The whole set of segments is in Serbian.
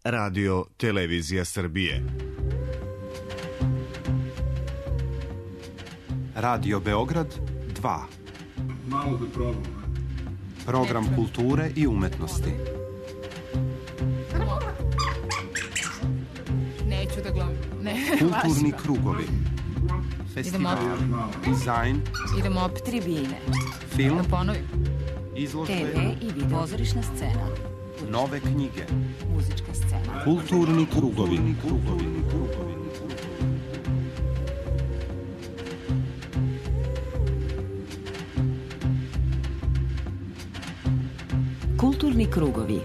Radio Televizija Srbije. Radio Beograd 2. Malo da probam. Program kulture i umetnosti. Neću da gledam. Kulturni krugovi. Festival, dizajn. Idemo opet tribine. Film. Da ponovim. Izložbe. TV i video. Pozorišna scena. Nove knjige. Muzička scena. Kulturni krugovi. Kulturni krugovi.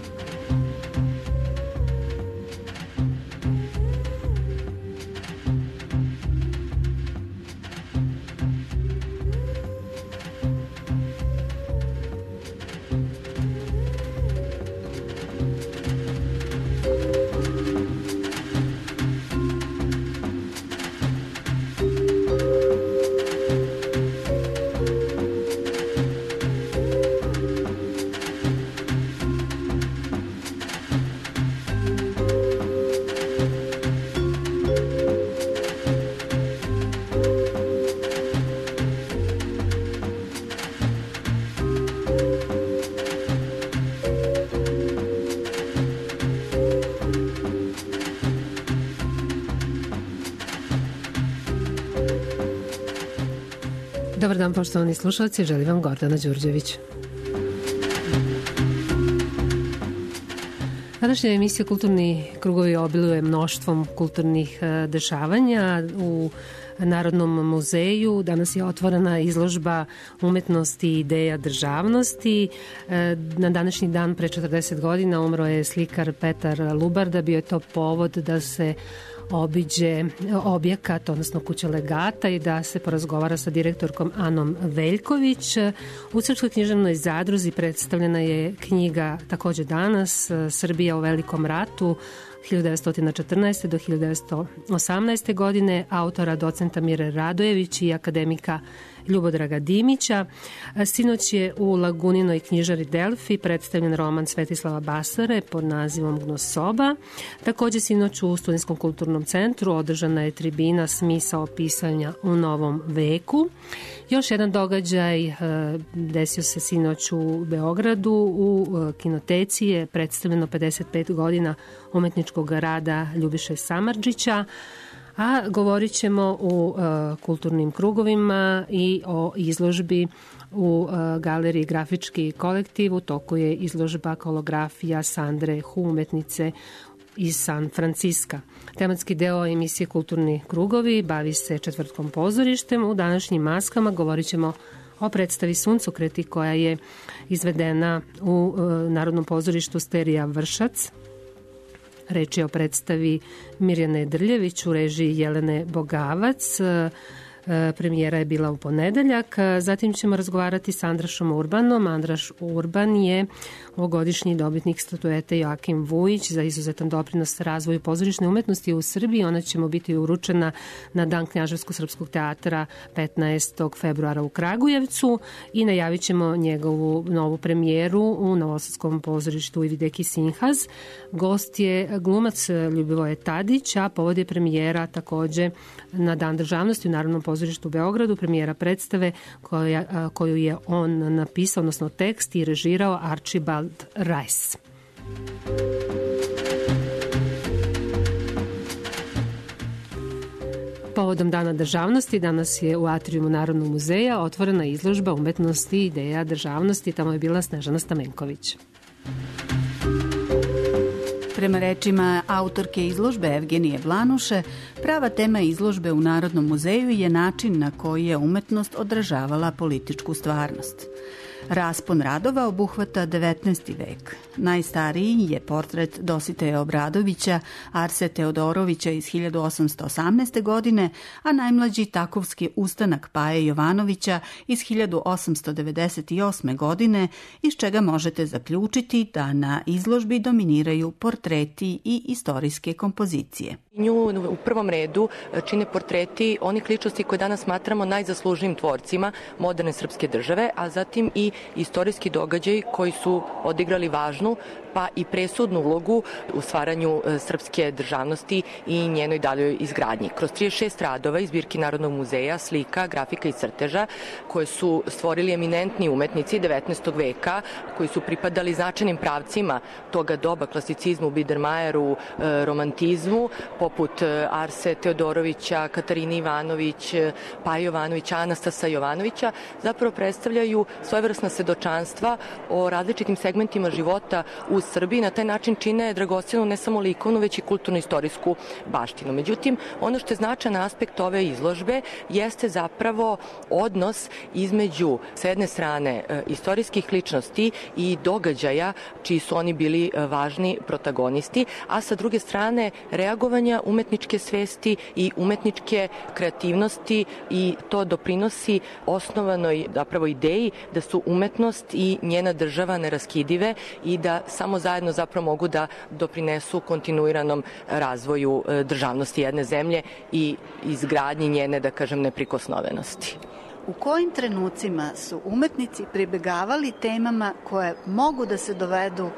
Dobar dan, poštovani slušalci, želim vam Gordana Đurđević. Današnja emisija Kulturni krugovi obiluje mnoštvom kulturnih dešavanja u Narodnom muzeju. Danas je otvorena izložba umetnosti i ideja državnosti. Na današnji dan pre 40 godina umro je slikar Petar Lubarda. Bio je to povod da se obiđe objekat, odnosno kuća legata i da se porazgovara sa direktorkom Anom Veljković. U Srpskoj književnoj zadruzi predstavljena je knjiga takođe danas, Srbija u velikom ratu, 1914. do 1918. godine, autora docenta Mire Radojević i akademika Ljubodraga Dimića. Sinoć je u Laguninoj knjižari Delfi predstavljen roman Svetislava Basare pod nazivom Gnosoba. Takođe sinoć u Studentskom kulturnom centru održana je tribina Smisao pisanja u novom veku. Još jedan događaj desio se sinoć u Beogradu. U kinoteci je predstavljeno 55 godina umetničkog rada Ljubiše Samardžića, a govorit ćemo u kulturnim krugovima i o izložbi u galeriji Grafički kolektiv. U toku je izložba holografija Sandre Hu, umetnice iz San Franciska. Tematski deo emisije Kulturni krugovi bavi se Četvrtkom pozorištem. U današnjim maskama govorit ćemo o predstavi Suncokreti koja je izvedena u Narodnom pozorištu Sterija Vršac. Reč je o predstavi Mirjane Drljević u režiji Jelene Bogavac. Premijera je bila u ponedeljak. Zatim ćemo razgovarati sa Andrašom Urbanom. Andraš Urban je ovogodišnji dobitnik statuete Joakim Vujić za izuzetan doprinos razvoju pozorišne umetnosti u Srbiji. Ona će mu biti uručena na Dan Knjaževsko-srpskog teatra 15. februara u Kragujevcu i najavit ćemo njegovu novu premijeru u Novosadskom pozorištu Ivideki Sinhaz. Gost je glumac Ljubivoje Tadić, a povod je premijera takođe na Dan državnosti u Narodnom pozorištu u Beogradu, premijera predstave koju je on napisao, odnosno tekst i režirao Archibald Rice. Povodom Dana državnosti danas je u atrijumu Narodnog muzeja otvorena izložba umetnosti i ideja državnosti. Tamo je bila Snežana Stamenković. Prema rečima autorke izložbe Evgenije Blanuše, prava tema izložbe u Narodnom muzeju je način na koji je umetnost odražavala političku stvarnost. Raspon radova obuhvata 19. vek. Najstariji je portret Dositeja Obradovića, Arse Teodorovića iz 1818. godine, a najmlađi takovski ustanak Paje Jovanovića iz 1898. godine, iz čega možete zaključiti da na izložbi dominiraju portreti i istorijske kompozicije. Nju u prvom redu čine portreti onih ličnosti koje danas smatramo najzaslužnijim tvorcima moderne srpske države, a zatim i istorijski događaji koji su odigrali važnu pa i presudnu ulogu u stvaranju srpske državnosti i njenoj daljoj izgradnji. Kroz 36 radova iz zbirki Narodnog muzeja, slika, grafika i crteža koje su stvorili eminentni umetnici 19. veka koji su pripadali značajnim pravcima toga doba, klasicizmu, Biedermajeru, romantizmu, poput Arse Teodorovića, Katarine Ivanović, Paje Jovanovića, Anastasa Jovanovića, zapravo predstavljaju svojevrsna svedočanstva o različitim segmentima života u Srbiji. Na taj način čine dragocenu ne samo likovnu, već i kulturno-istorijsku baštinu. Međutim, ono što je značajan aspekt ove izložbe jeste zapravo odnos između, s jedne strane, istorijskih ličnosti i događaja čiji su oni bili važni protagonisti, a sa druge strane reagovanja umetničke svesti i umetničke kreativnosti, i to doprinosi osnovanoj zapravo ideji da su umetnost i njena država neraskidive i da samo zajedno zapravo mogu da doprinesu kontinuiranom razvoju državnosti jedne zemlje i izgradnji njene, da kažem, neprikosnovenosti. U kojim trenucima su umetnici pribegavali temama koje mogu da se dovedu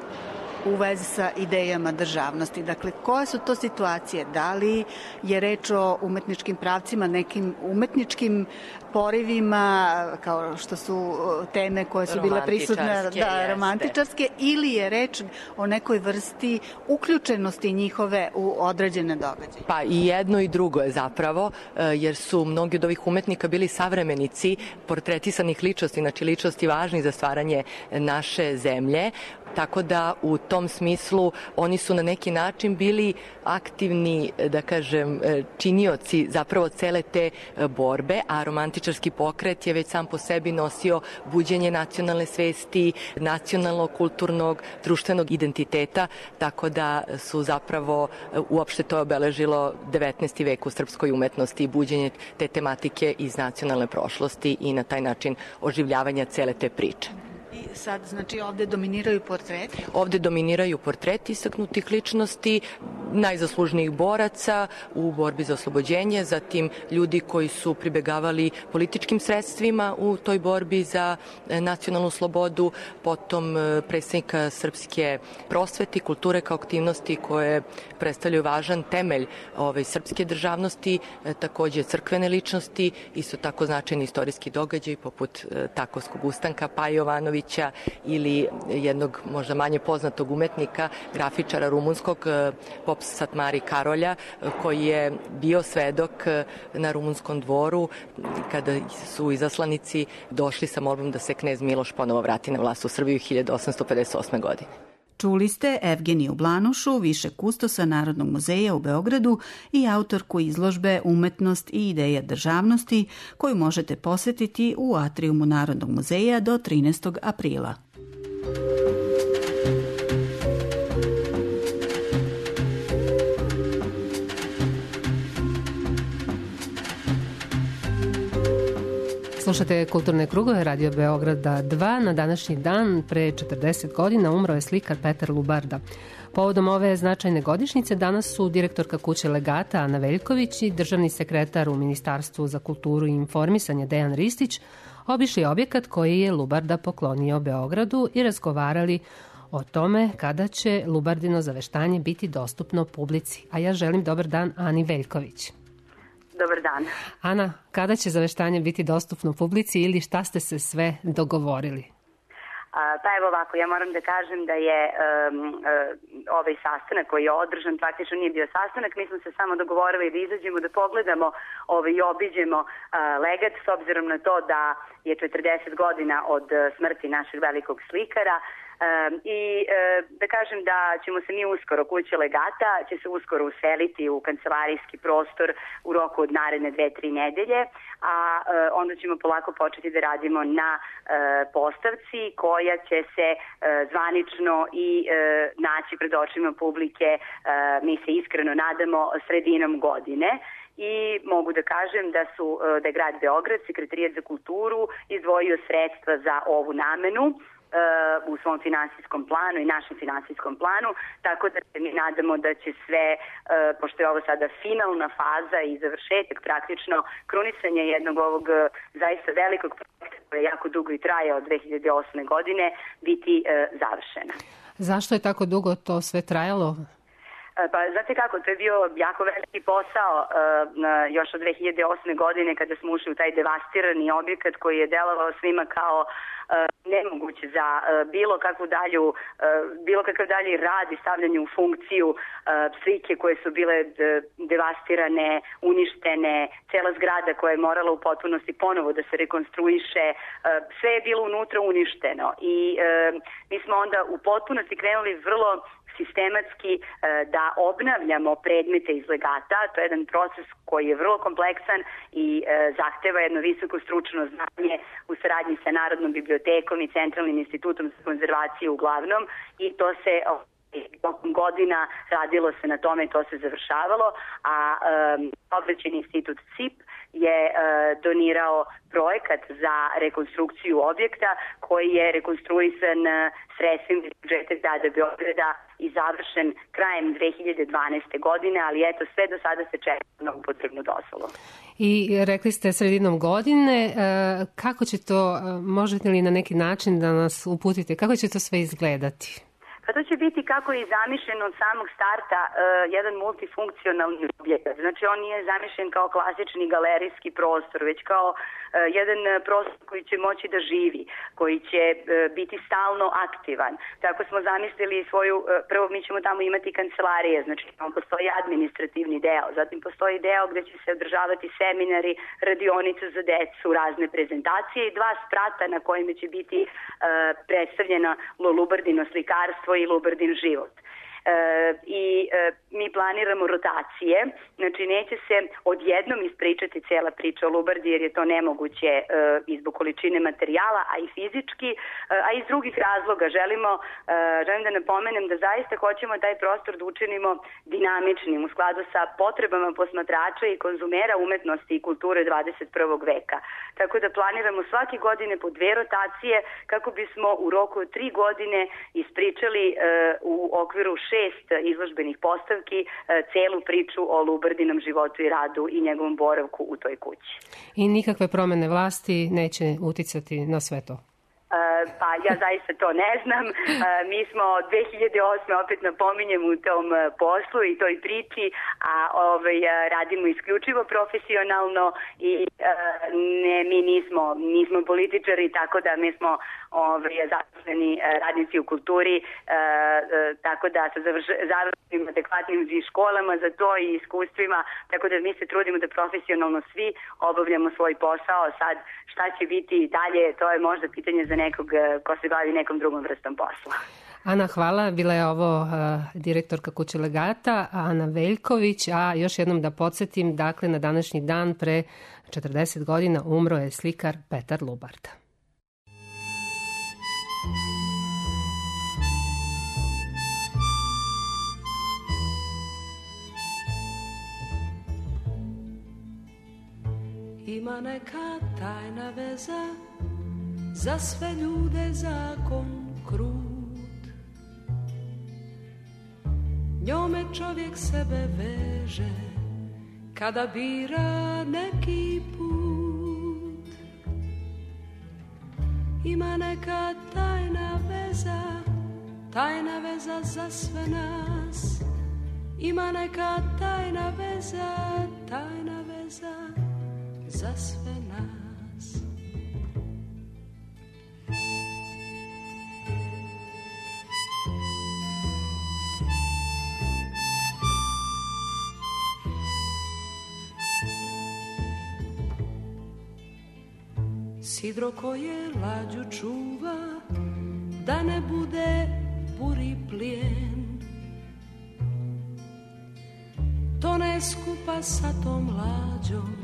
u vezi sa idejama državnosti? Dakle, koje su to situacije? Da li je reč o umetničkim pravcima, nekim umetničkim porivima, kao što su teme koje su bile prisutne, romantičarske, ili je reč o nekoj vrsti uključenosti njihove u određene događaje? Pa i jedno i drugo je zapravo, jer su mnogi od ovih umetnika bili savremenici portretisanih ličnosti, znači ličnosti važnih za stvaranje naše zemlje, tako da u tom smislu oni su na neki način bili aktivni, da kažem, činioci zapravo cele te borbe, a romantičarski pokret je već sam po sebi nosio buđenje nacionalne svesti, nacionalnog, kulturnog, društvenog identiteta, tako da su zapravo uopšte to obeležilo 19. vek u srpskoj umetnosti i buđenje te tematike iz nacionalne prošlosti i na taj način oživljavanja cele te priče. I sad, znači, ovde dominiraju portreti? Ovde dominiraju portreti istaknutih ličnosti, najzaslužnijih boraca u borbi za oslobođenje, zatim ljudi koji su pribegavali političkim sredstvima u toj borbi za nacionalnu slobodu, potom predstavnika srpske prosvete i kulture kao aktivnosti koje predstavljaju važan temelj srpske državnosti, takođe crkvene ličnosti, isto tako značajni istorijski događaj poput Takovskog ustanka Paje Jovanovića ili jednog možda manje poznatog umetnika, grafičara rumunskog Pop Satmari Karolja, koji je bio svedok na rumunskom dvoru kada su izaslanici došli sa molbom da se knez Miloš ponovo vrati na vlast u Srbiju 1858. godine. Čuli ste Evgeniju Blanušu, više kustosa Narodnog muzeja u Beogradu i autorku izložbe Umetnost i ideja državnosti, koju možete posetiti u atrijumu Narodnog muzeja do 13. aprila. Slušate Kulturne krugove Radio Beograda 2. Na današnji dan, pre 40 godina, umro je slikar Petar Lubarda. Povodom ove značajne godišnjice danas su direktorka kuće Legata Ana Veljković i državni sekretar u Ministarstvu za kulturu i informisanje Dejan Ristić obišli objekat koji je Lubarda poklonio Beogradu i razgovarali o tome kada će Lubardino zaveštanje biti dostupno publici. A ja želim dobar dan Ani Veljković. Dobar dan. Ana, kada će zaveštanje biti dostupno publici ili šta ste se sve dogovorili? Pa evo ovako, ja moram da kažem da je ovaj sastanak koji je održan, praktično nije bio sastanak, mi smo se samo dogovorili da izađemo, da pogledamo i obiđemo Legat, s obzirom na to da je 40 godina od smrti našeg velikog slikara. I da kažem da ćemo se mi uskoro, kuća Legata će se uskoro useliti u kancelarijski prostor u roku od naredne 2-3 nedelje, a onda ćemo polako početi da radimo na postavci koja će se zvanično i naći pred očima publike, mi se iskreno nadamo, sredinom godine. I mogu da kažem da je grad Beograd, Sekretarijat za kulturu, izdvojio sredstva za ovu namenu u svom finansijskom planu i našem finansijskom planu, tako da se mi nadamo da će sve, pošto je ovo sada finalna faza i završetak, praktično krunisanje jednog ovog zaista velikog projekta koja jako dugo i traje od 2008. godine, biti završena. Zašto je tako dugo to sve trajalo? Pa znate kako, to je bio jako veliki posao još od 2008. godine kada smo ušli u taj devastirani objekat koji je delovao svima kao nemoguće za bilo kakav dalji rad i stavljanje u funkciju slike koje su bile devastirane, uništene, cela zgrada koja je morala u potpunosti ponovo da se rekonstruiše, sve je bilo unutra uništeno i mi smo onda u potpunosti krenuli vrlo sistematski da obnavljamo predmete iz legata. To je jedan proces koji je vrlo kompleksan i zahteva jedno visoko stručno znanje u saradnji sa Narodnom bibliotekom i Centralnim institutom za konzervaciju uglavnom i to se tokom godina radilo se na tome, to se završavalo, a Saobraćajni institut CIP je donirao projekat za rekonstrukciju objekta koji je rekonstruisan sredstvima iz budžeta grada Beograda i završen krajem 2012. godine, ali eto sve do sada se čeka na upotrebnu dozvolu. I rekli ste sredinom godine, kako će to, možete li na neki način da nas uputite, kako će to sve izgledati? Pa to će biti kako je zamišljen od samog starta jedan multifunkcionalni objekat. Znači on nije zamišljen kao klasični galerijski prostor, već kao jedan prostor koji će moći da živi, koji će biti stalno aktivan. Tako smo zamislili prvo mi ćemo tamo imati kancelarije, znači tamo postoji administrativni deo, zatim postoji deo gde će se održavati seminari, radionice za decu, razne prezentacije i 2 sprata na kojima će biti predstavljena Lulubardino slikarstvo i Lubardin život. Mi planiramo rotacije, znači neće se odjednom ispričati cijela priča o Lubardi jer je to nemoguće i zbog količine materijala, a i fizički, a iz drugih razloga. Želim da napomenem da zaista hoćemo taj prostor da učinimo dinamičnim u skladu sa potrebama posmatrača i konzumera umetnosti i kulture 21. veka. Tako da planiramo svake godine po 2 rotacije kako bismo u roku od 3 godine ispričali u okviru 6 izložbenih postavki celu priču o Lubardinom životu i radu i njegovom boravku u toj kući. I nikakve promene vlasti neće uticati na sve to? Pa ja zaista to ne znam. Mi smo 2008. opet napominjem u tom poslu i toj priči, a radimo isključivo profesionalno i mi nismo političari, tako da mi smo zaposleni radnici u kulturi, tako da sa završenim adekvatnim školama za to i iskustvima, tako da mi se trudimo da profesionalno svi obavljamo svoj posao. Sad šta će biti dalje, to je možda pitanje za nekog ko se bavi nekom drugom vrstom posla. Ana, hvala. Bila je ovo direktorka Kuće legata, Ana Veljković, a još jednom da podsjetim, dakle, na današnji dan pre 40 godina umro je slikar Petar Lubard. Ima neka tajna veza, za sve ljude zakon krut. Njome čovjek sebe veže, kada bira neki put. Ima neka tajna veza za sve nas. Ima neka tajna veza za sve nas. Sidro koje lađu čuva, da ne bude buri plijen, to ne skupa sa tom lađom,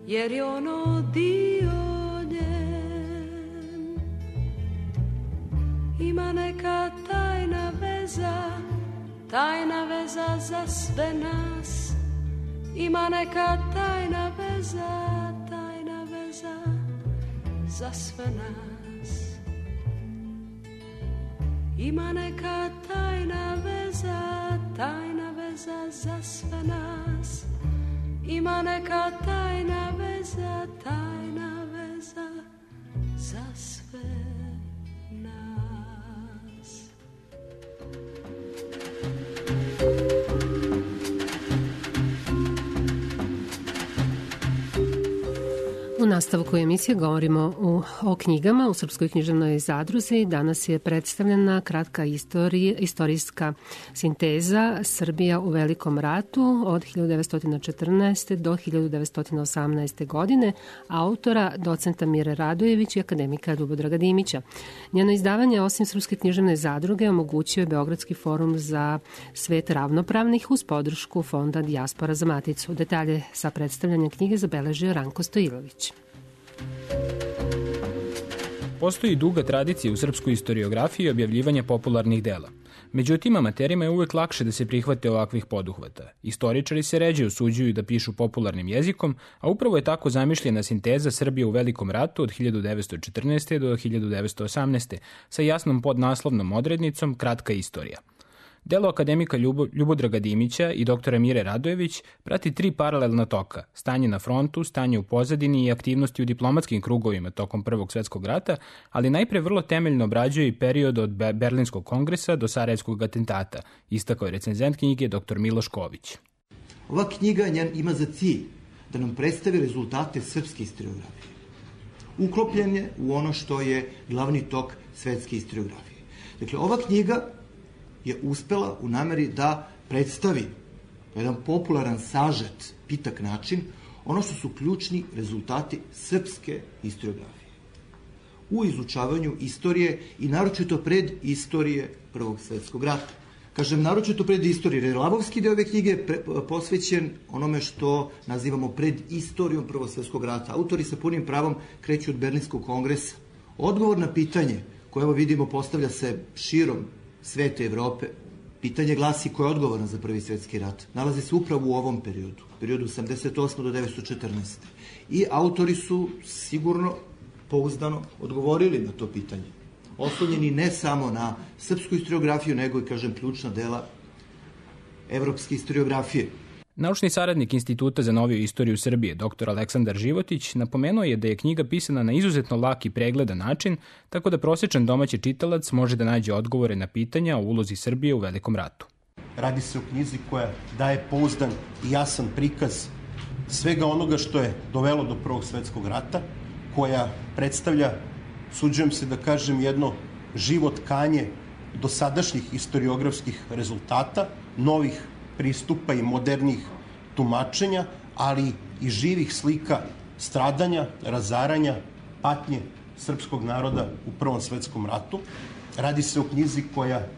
jer je ono dio njen. Ima neka tajna veza za sve nas. Ima neka tajna veza za sve nas. Ima neka tajna veza za sve nas. Ima neka tajna veza za sve nas. U nastavku emisije govorimo o knjigama u Srpskoj književnoj zadruzi. Danas je predstavljena kratka istorijska sinteza Srbija u Velikom ratu od 1914. do 1918. godine autora docenta Mire Radojević i akademika Ljubodraga Dimića. Njeno izdavanje, osim Srpske književne zadruge, omogućio je Beogradski forum za svet ravnopravnih uz podršku Fonda Dijaspora za Maticu. Detalje sa predstavljanja knjige zabeležio Ranko Stojilović. Postoji duga tradicija u srpskoj istoriografiji objavljivanja popularnih dela. Međutim, amaterima je uvek lakše da se prihvate ovakvih poduhvata. Istoričari se ređe osuđuju da pišu popularnim jezikom, a upravo je tako zamišljena sinteza Srbije u Velikom ratu od 1914. do 1918. sa jasnom podnaslovnom odrednicom Kratka istorija. Delo akademika Ljubodraga Dimića i doktora Mire Radojević prati 3 paralelna toka: stanje na frontu, stanje u pozadini i aktivnosti u diplomatskim krugovima tokom Prvog svetskog rata, ali najpre vrlo temeljno obrađuje i period od Berlinskog kongresa do Sarajevskog atentata, istakao je recenzent knjige dr. Miloš Ković. Ova knjiga ima za cilj da nam predstavi rezultate srpske istoriografije. Uklopljen je u ono što je glavni tok svetske istoriografije. Dakle, ova knjiga je uspela u nameri da predstavi jedan popularan, sažet, pitak način ono što su ključni rezultati srpske istoriografije u izučavanju istorije i naročito pred istorije Prvog svetskog rata. Kažem naročito pred istorije, jer Labovski deo ove knjige je posvećen onome što nazivamo pred istorijom Prvog svetskog rata. Autori sa punim pravom kreću od Berlinskog kongresa. Odgovor na pitanje koje evo vidimo postavlja se širom sveta Evrope, pitanje glasi ko je odgovoran za Prvi svetski rat. Nalazi se upravo u ovom periodu 88. do 1914. I autori su sigurno, pouzdano odgovorili na to pitanje. Oslonjeni ne samo na srpsku istoriografiju, nego i, kažem, ključna dela evropske istoriografije. Naučni saradnik Instituta za noviju istoriju Srbije, dr. Aleksandar Životić, napomenuo je da je knjiga pisana na izuzetno lak i pregledan način, tako da prosječan domaći čitalac može da nađe odgovore na pitanja o ulozi Srbije u Velikom ratu. Radi se o knjizi koja daje pouzdan i jasan prikaz svega onoga što je dovelo do Prvog svetskog rata, koja predstavlja, suđujem se da kažem, jedno živo tkanje dosadašnjih historiografskih rezultata, novih pristupa i modernih tumačenja, ali i živih slika stradanja, razaranja, patnje srpskog naroda u Prvom svetskom ratu. Radi se o knjizi koja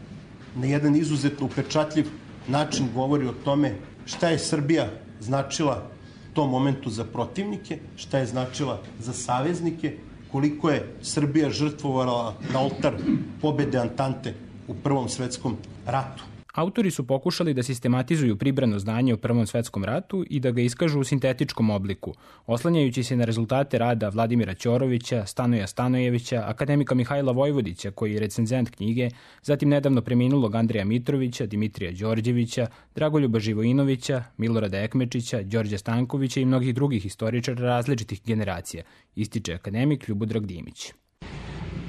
na jedan izuzetno upečatljiv način govori o tome šta je Srbija značila u tom momentu za protivnike, šta je značila za saveznike, koliko je Srbija žrtvovala na oltar pobede Antante u Prvom svetskom ratu. Autori su pokušali da sistematizuju pribrano znanje o Prvom svetskom ratu i da ga iskažu u sintetičkom obliku, oslanjajući se na rezultate rada Vladimira Ćorovića, Stanoja Stanojevića, akademika Mihajla Vojvodića, koji je recenzent knjige, zatim nedavno preminulog Andreja Mitrovića, Dimitrija Đorđevića, Dragoljuba Živojinovića, Milorada Ekmečića, Đorđa Stankovića i mnogih drugih istoričara različitih generacija, ističe akademik Ljubodrag Dimić.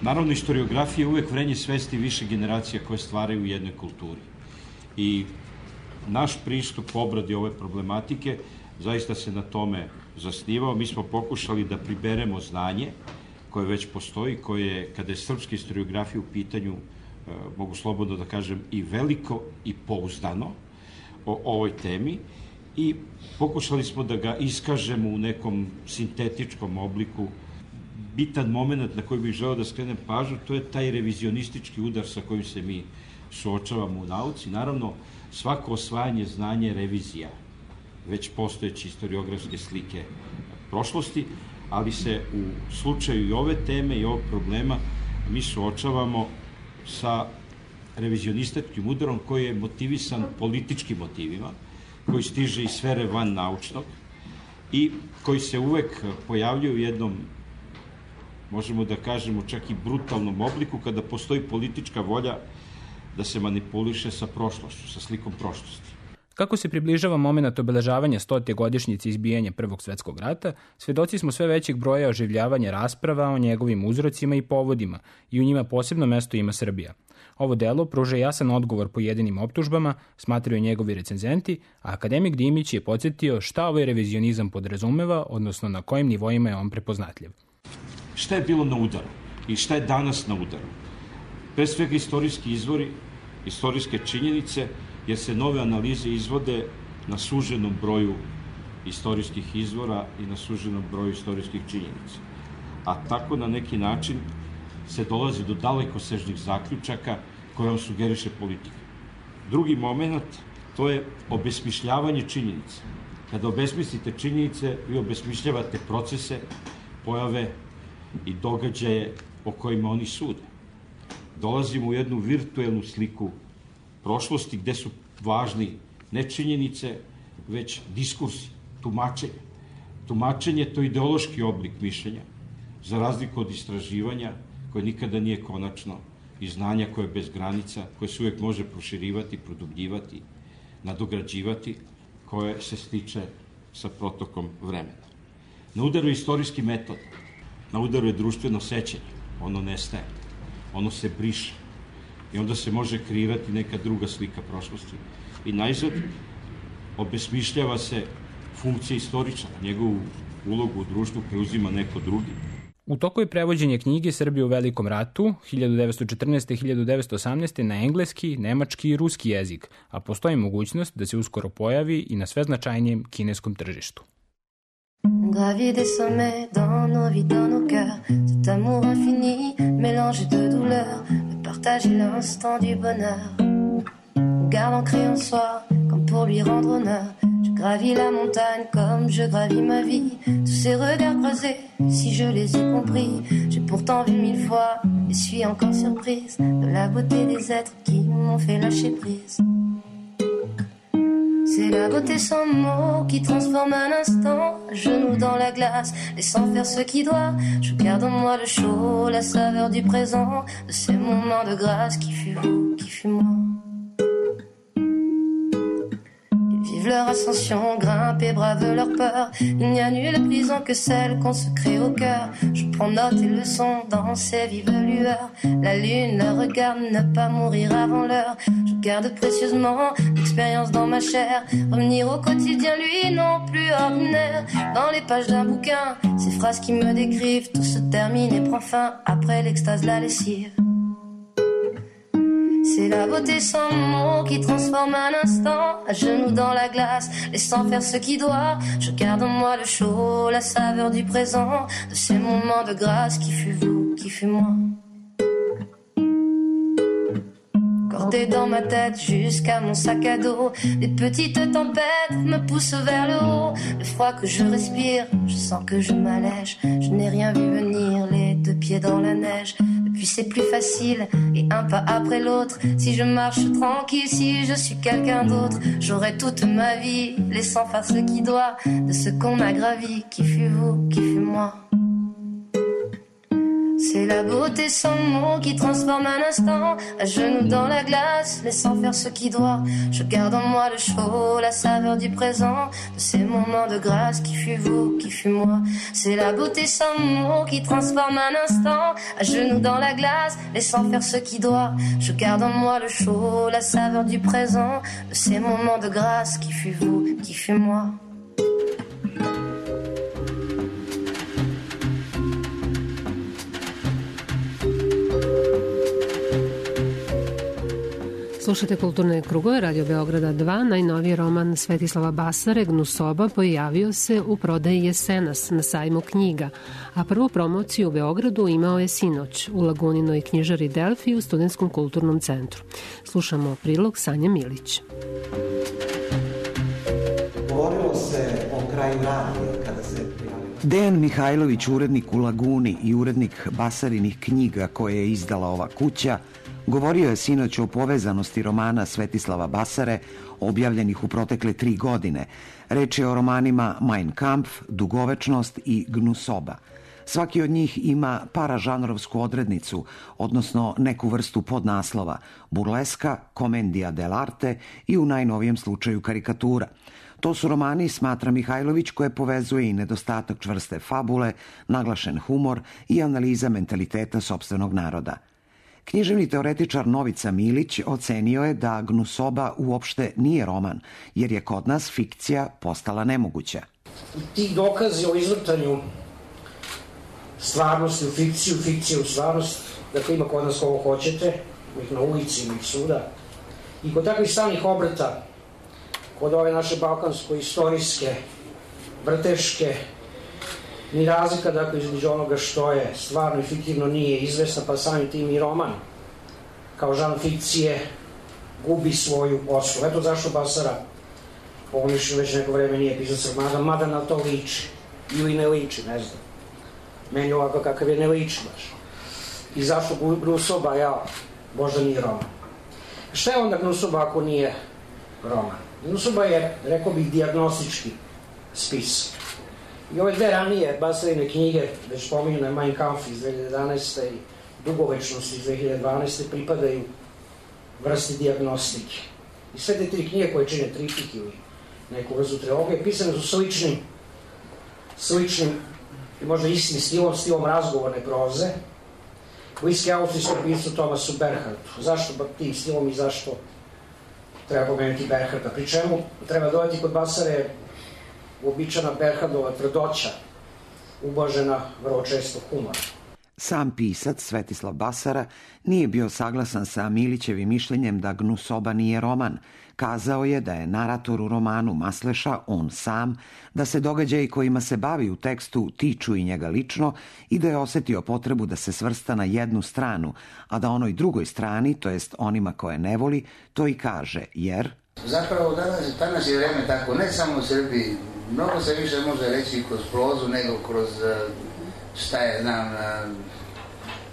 Naravno, istoriografija je uvek vrenje svesti više generacija koje stvaraju u jednoj kulturi. I naš pristup obradi ove problematike zaista se na tome zasnivao. Mi smo pokušali da priberemo znanje koje već postoji, koje, kada je srpska istoriografija u pitanju, mogu slobodno da kažem, i veliko i pouzdano o ovoj temi, i pokušali smo da ga iskažemo u nekom sintetičkom obliku. Bitan moment na koji bih želeo da skrenem pažnju, to je taj revizionistički udar sa kojim se mi suočavamo u nauci. Naravno, svako osvajanje znanja je revizija već postojeće historiografske slike prošlosti, ali se u slučaju i ove teme i ovog problema mi suočavamo sa revizionističkim udarom koji je motivisan političkim motivima, koji stiže iz sfere van naučnog i koji se uvek pojavljaju u jednom, možemo da kažemo, čak i brutalnom obliku, kada postoji politička volja da se manipuliše sa prošlošću, sa slikom prošlosti. Kako se približava moment obeležavanja 100. godišnjice izbijanja Prvog svetskog rata, svedoci smo sve većeg broja oživljavanja rasprava o njegovim uzrocima i povodima i u njima posebno mesto ima Srbija. Ovo delo pruža jasan odgovor pojedinim optužbama, smatraju njegovi recenzenti, a akademik Dimić je podsjetio šta ovaj revizionizam podrazumeva, odnosno na kojim nivoima je on prepoznatljiv. Šta je bilo na udaru i šta je danas na udaru? Pre svega istorijski izvori, istorijske činjenice, jer se nove analize izvode na suženom broju istorijskih izvora i na suženom broju istorijskih činjenica. A tako na neki način se dolazi do dalekosežnih zaključaka koje vam sugeriše politika. Drugi moment, to je obesmišljavanje činjenica. Kada obesmislite činjenice, vi obesmišljavate procese, pojave i događaje o kojima oni sude. Dolazimo u jednu virtuelnu sliku prošlosti gde su važni ne činjenice, već diskursi, tumačenje. Tumačenje je to ideološki oblik mišljenja, za razliku od istraživanja, koje nikada nije konačno, i znanja koje je bez granica, koje se uvijek može proširivati, produbljivati, nadograđivati, koje se stiče sa protokom vremena. Na udaru je istorijski metod, na udaru je društveno sećanje, ono nestaje, ono se briše i onda se može kreirati neka druga slika prošlosti. I najzad obesmišljava se funkcija istoričara, njegovu ulogu u društvu preuzima neko drugi. U toku je prevođenje knjige Srbije u Velikom ratu 1914-1918 na engleski, nemački i ruski jezik, a postoji mogućnost da se uskoro pojavi i na sve značajnijem kineskom tržištu. Gravier des sommets dans nos vies, dans nos cœurs, cet amour infini, mélange de douleur, de partager l'instant du bonheur. Garde ancré en soi, comme pour lui rendre honneur. Je gravis la montagne comme je gravis ma vie. Tous ces regards croisés, si je les ai compris, j'ai pourtant vu 1000 fois et suis encore surprise de la beauté des êtres qui m'ont fait lâcher prise. C'est la beauté sans mots qui transforme un instant, genoux dans la glace, laissant faire ce qui doit. Je garde en moi le chaud, la saveur du présent, de ces moments de grâce qui fut vous, qui fut moi. Ils vivent leur ascension, grimpent et bravent leur peur. Il n'y a nulle prison que celle qu'on se crée au cœur. Je prends note et leçon dans ces vives lueurs. La lune leur regarde, ne pas mourir avant l'heure. Je garde précieusement l'expérience dans ma chair. Revenir au quotidien, lui, non plus ordinaire. Dans les pages d'un bouquin, ces phrases qui me décrivent, tout se termine et prend fin après l'extase, la lessive. C'est la beauté sans mots qui transforme un instant, à genoux dans la glace, laissant faire ce qui doit. Je garde en moi le chaud, la saveur du présent, de ces moments de grâce qui fut vous, qui fut moi. Cordé dans ma tête jusqu'à mon sac à dos, des petites tempêtes me poussent vers le haut. Le froid que je respire, je sens que je m'allège. Je n'ai rien vu venir, les deux pieds dans la neige. Puis c'est plus facile, et un pas après l'autre. Si je marche tranquille, si je suis quelqu'un d'autre, j'aurai toute ma vie, laissant faire ce qui doit, de ce qu'on m'a gravi, qui fut vous, qui fut moi. C'est la beauté sans mots qui transforme un instant, à genoux dans la glace, laissant faire ce qui doit. Je garde en moi le chaud, la saveur du présent, de ces moments de grâce qui fut vous, qui fut moi. C'est la beauté sans mots qui transforme un instant, à genoux dans la glace, laissant faire ce qui doit. Je garde en moi le chaud, la saveur du présent, de ces moments de grâce qui fut vous, qui fut moi. Slušate Kulturne krugove, Radio Beograda 2. Najnoviji roman Svetislava Basare, Gnusoba, pojavio se u prodaji jesenas na sajmu knjiga, a prvu promociju u Beogradu imao je sinoć u Laguninoj knjižari Delfi u Studentskom kulturnom centru. Slušamo prilog Sanja Milić. Govorilo se o kraju radija kada se prijavio. Dejan Mihajlović, urednik u Laguni i urednik Basarinih knjiga koje je izdala ova kuća, govorio je sinoć o povezanosti romana Svetislava Basare, objavljenih u protekle 3 godine. Reč je o romanima Mein Kampf, Dugovečnost i Gnusoba. Svaki od njih ima paražanrovsku odrednicu, odnosno neku vrstu podnaslova, burleska, komedija dell'arte i u najnovijem slučaju karikatura. To su romani, smatra Mihajlović, koje povezuje i nedostatak čvrste fabule, naglašen humor i analiza mentaliteta sopstvenog naroda. Književni teoretičar Novica Milić ocenio je da Gnusoba uopšte nije roman, jer je kod nas fikcija postala nemoguća. Ti dokazi o izvrtanju stvarnosti u fikciju, fikcije u stvarnost, dakle ima kod nas kogo hoćete, ih na ulici, ih svuda, i kod takvih stalnih obrata, kod ove naše balkansko-istorijske, vrteške, ni razlika, dakle, između onoga što je stvarno i fiktivno nije izvesna, pa samim tim i roman, kao žan fikcije, gubi svoju osnovu. Eto zašto Basara, po mišljenju, već neko vreme nije pisac romana, mada na to liči, ili ne liči, ne znam. Meni ovako kakav je ne liči baš. I zašto Gnusoba, možda nije roman. Šta je onda Gnusoba ako nije roman? Gnusoba je, rekao bih, dijagnostički spis. I ove dve ranije Basarine knjige, već pominjene Mein Kampf iz 2011. i Dugovečnost iz 2012. pripadaju vrsti dijagnostike. I sve te tri knjige koje čine triptih ili neku vrstu trilogije, pisane su sličnim i možda istim stilom razgovorne proze, bliski austrijskom piscu Thomasu Bernhardtu. Zašto tim stilom i zašto treba pomenuti Bernhardta? Pri čemu treba dodati kod Basare uobičajena Bernhardova tvrdoća, ublažena vrlo često humora. Sam pisac Svetislav Basara nije bio saglasan sa Milićevim mišljenjem da Gnusoba nije roman. Kazao je da je narator u romanu Masleša on sam, da se događaji kojima se bavi u tekstu tiču i njega lično i da je osetio potrebu da se svrsta na jednu stranu, a da onoj drugoj strani, to jest onima koje ne voli, to i kaže, jer... Zapravo danas je vreme tako, ne samo u Srbiji, mnogo se više može reći kroz prozu nego kroz, šta je, znam,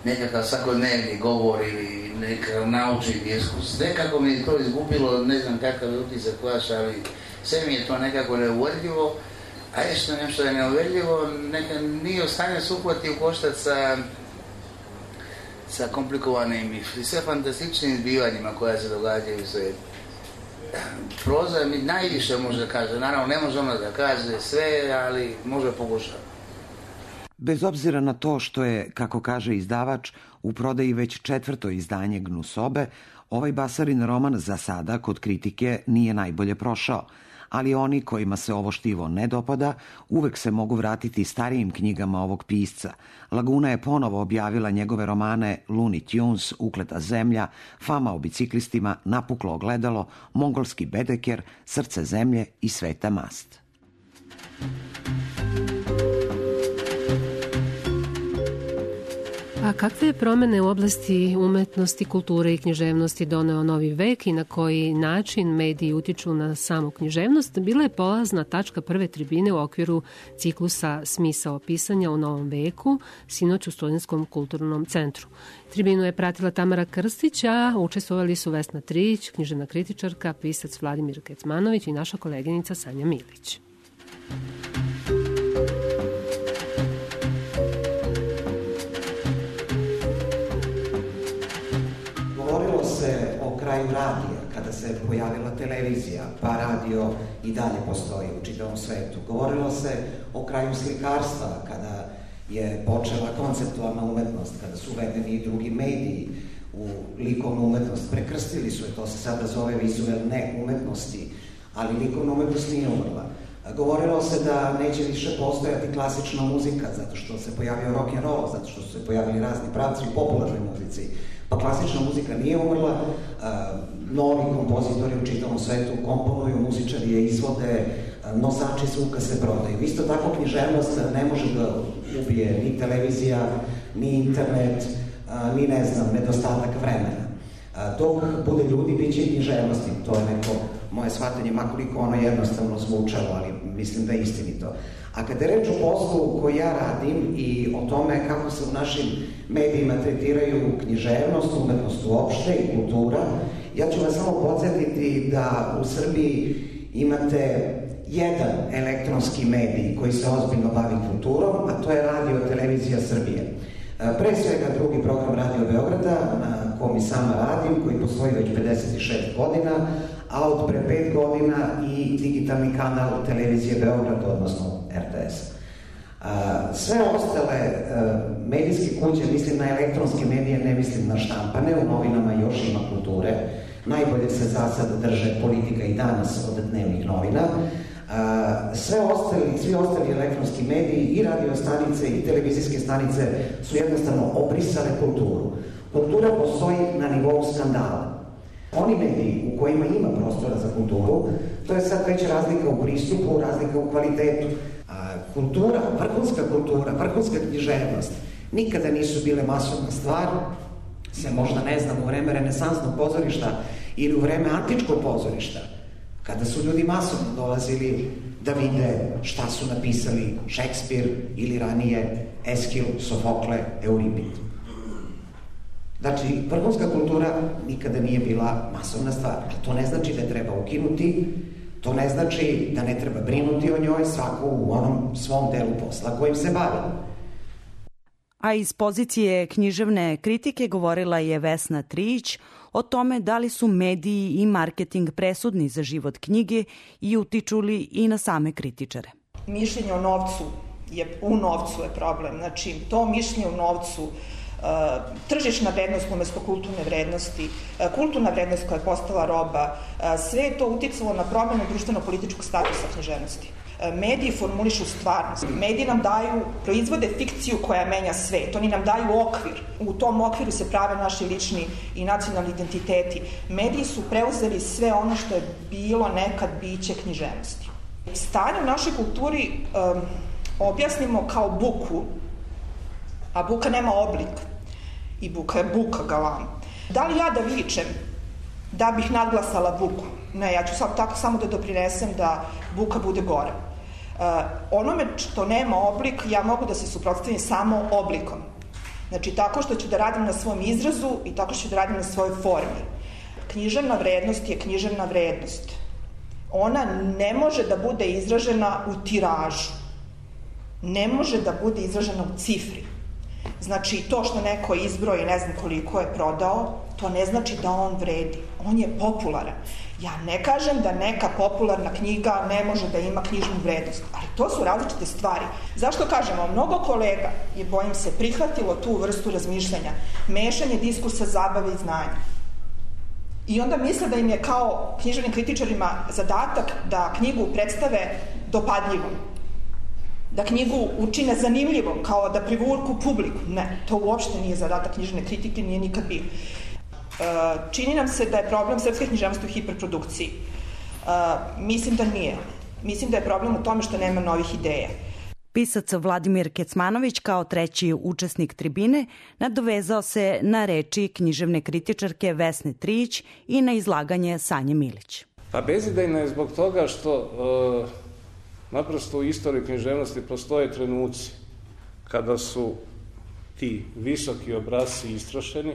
nekakav svakodnevni govor ili nekakav naučni diskus. Nekako mi je to izgubilo, ne znam kakav je utisak vaš, ali sve mi je to nekako neuverljivo, a nešto je neuverljivo, nije u stanju se uhvati u koštac sa komplikovanim i sve fantastičnim zbivanjima koja se događaju u svijetu. Proza mi najviše može da kaže, naravno ne može ona da kaže sve, ali može pokušati. Bez obzira na to što je, kako kaže izdavač, u prodaji već 4. izdanje Gnusobe, ovaj Basarin roman za sada kod kritike nije najbolje prošao, ali oni kojima se ovo štivo ne dopada uvek se mogu vratiti starijim knjigama ovog pisca. Laguna je ponovo objavila njegove romane Looney Tunes, Ukleta zemlja, Fama o biciklistima, Napuklo ogledalo, Mongolski bedeker, Srce zemlje i Sveta mast. A kakve je promene u oblasti umetnosti, kulture i književnosti doneo novi vek i na koji način mediji utiču na samu književnost, bila je polazna tačka prve tribine u okviru ciklusa Smisao pisanja u novom veku, sinoć u Studentskom kulturnom centru. Tribinu je pratila Tamara Krstić, a učestvovali su Vesna Trić, književna kritičarka, pisac Vladimir Kecmanović i naša koleginica Sanja Milić. Govorilo se o kraju radija, kada se pojavila televizija, pa radio i dalje postoji u čitavom svetu. Govorilo se o kraju slikarstva, kada je počela konceptualna umetnost, kada su uvedeni i drugi mediji u likovnu umetnost. Prekrstili su je, to se sada zove vizuelne umetnosti, ali likovna umetnost nije umrla. Govorilo se da neće više postojati klasična muzika, zato što se pojavio rock and roll, zato što su se pojavili razni pravci u popularnoj muzici. Pa klasična muzika nije umrla, novi kompozitori u čitavom svetu komponuju, muzičari je izvode, nosači zvuka se prodaju. Isto tako književnost ne može da ubije ni televizija, ni internet, ni ne znam, nedostatak vremena. Dok bude ljudi, bit će i književnosti. To je neko moje shvatanje, makoliko ono jednostavno zvučalo, ali mislim da je istinito. A kada je reč o poslu koji ja radim i o tome kako se u našim medijima tretiraju književnost, umetnost uopšte i kultura, ja ću vas samo podsjetiti da u Srbiji imate jedan elektronski medij koji se ozbiljno bavi kulturom, a to je Radio Televizija Srbije. Pre svega drugi program Radio Beograda, na kom i sama radim, koji postoji već 56 godina, a od pre 5 godina i digitalni kanal Televizije Beograd, odnosno RTS. Sve ostale medijske kuće, mislim na elektronske medije, ne mislim na štampane, u novinama još ima kulture. Najbolje se za sad drže Politika i Danas od dnevnih novina. Svi ostali elektronski mediji i radio stanice i televizijske stanice su jednostavno obrisale kulturu. Kultura postoji na nivou skandala. Oni mediji u kojima ima prostora za kulturu, to je sad već razlika u pristupu, razlika u kvalitetu. Kultura, vrhunska književnost nikada nisu bile masovna stvar, se možda ne znam u vreme renesansnog pozorišta ili u vreme antičkog pozorišta, kada su ljudi masovno dolazili da vide šta su napisali Šekspir ili ranije Eskil, Sofokle, Euripid. Znači, vrhunska kultura nikada nije bila masovna stvar, ali to ne znači da je treba ukinuti, to ne znači da ne treba brinuti o njoj, svako u onom svom delu posla kojim se bavi. A iz pozicije književne kritike govorila je Vesna Trijić o tome da li su mediji i marketing presudni za život knjige i utiču li i na same kritičare. Mišljenje o novcu u novcu je problem. Znači, to mišljenje u novcu, tržišna vrednost umesto kulturne vrednosti, kulturna vrednost koja je postala roba, sve je to uticalo na promenu društveno-političkog statusa književnosti. Mediji formulišu stvarnost. Mediji nam proizvode fikciju koja menja svet. Oni nam daju okvir. U tom okviru se prave naši lični i nacionalni identiteti. Mediji su preuzeli sve ono što je bilo nekad biće književnosti. Stanje u našoj kulturi objasnimo kao buku, a buka nema oblik. I buka je buka, galam. Da li ja da vičem da bih nadglasala buku? Ne, ja ću sad tako samo da doprinesem da buka bude gore. Onome što nema oblik, ja mogu da se suprotstavim samo oblikom. Znači, tako što ću da radim na svom izrazu i tako što ću da radim na svojoj formi. Književna vrednost je književna vrednost. Ona ne može da bude izražena u tiražu. Ne može da bude izražena u cifri. Znači, to što neko izbroji, ne znam koliko je prodao, to ne znači da on vredi. On je popularan. Ja ne kažem da neka popularna knjiga ne može da ima knjižnu vrednost, ali to su različite stvari. Zašto kažemo? Mnogo kolega je, bojim se, prihvatilo tu vrstu razmišljanja, mešanje diskursa, zabave i znanja. I onda misle da im je kao književnim kritičarima zadatak da knjigu predstave dopadljivom, da knjigu učine zanimljivom, kao da privuku publiku. Ne, to uopšte nije zadatak književne kritike, nije nikad bio. Čini nam se da je problem srpske književnosti u hiperprodukciji. Mislim da nije. Mislim da je problem u tome što nema novih ideja. Pisac Vladimir Kecmanović kao treći učesnik tribine nadovezao se na reči književne kritičarke Vesne Trijić i na izlaganje Sanje Milić. Pa bezidejno je zbog toga što naprosto u istoriji književnosti postoje trenuci kada su ti visoki obrasci istrošeni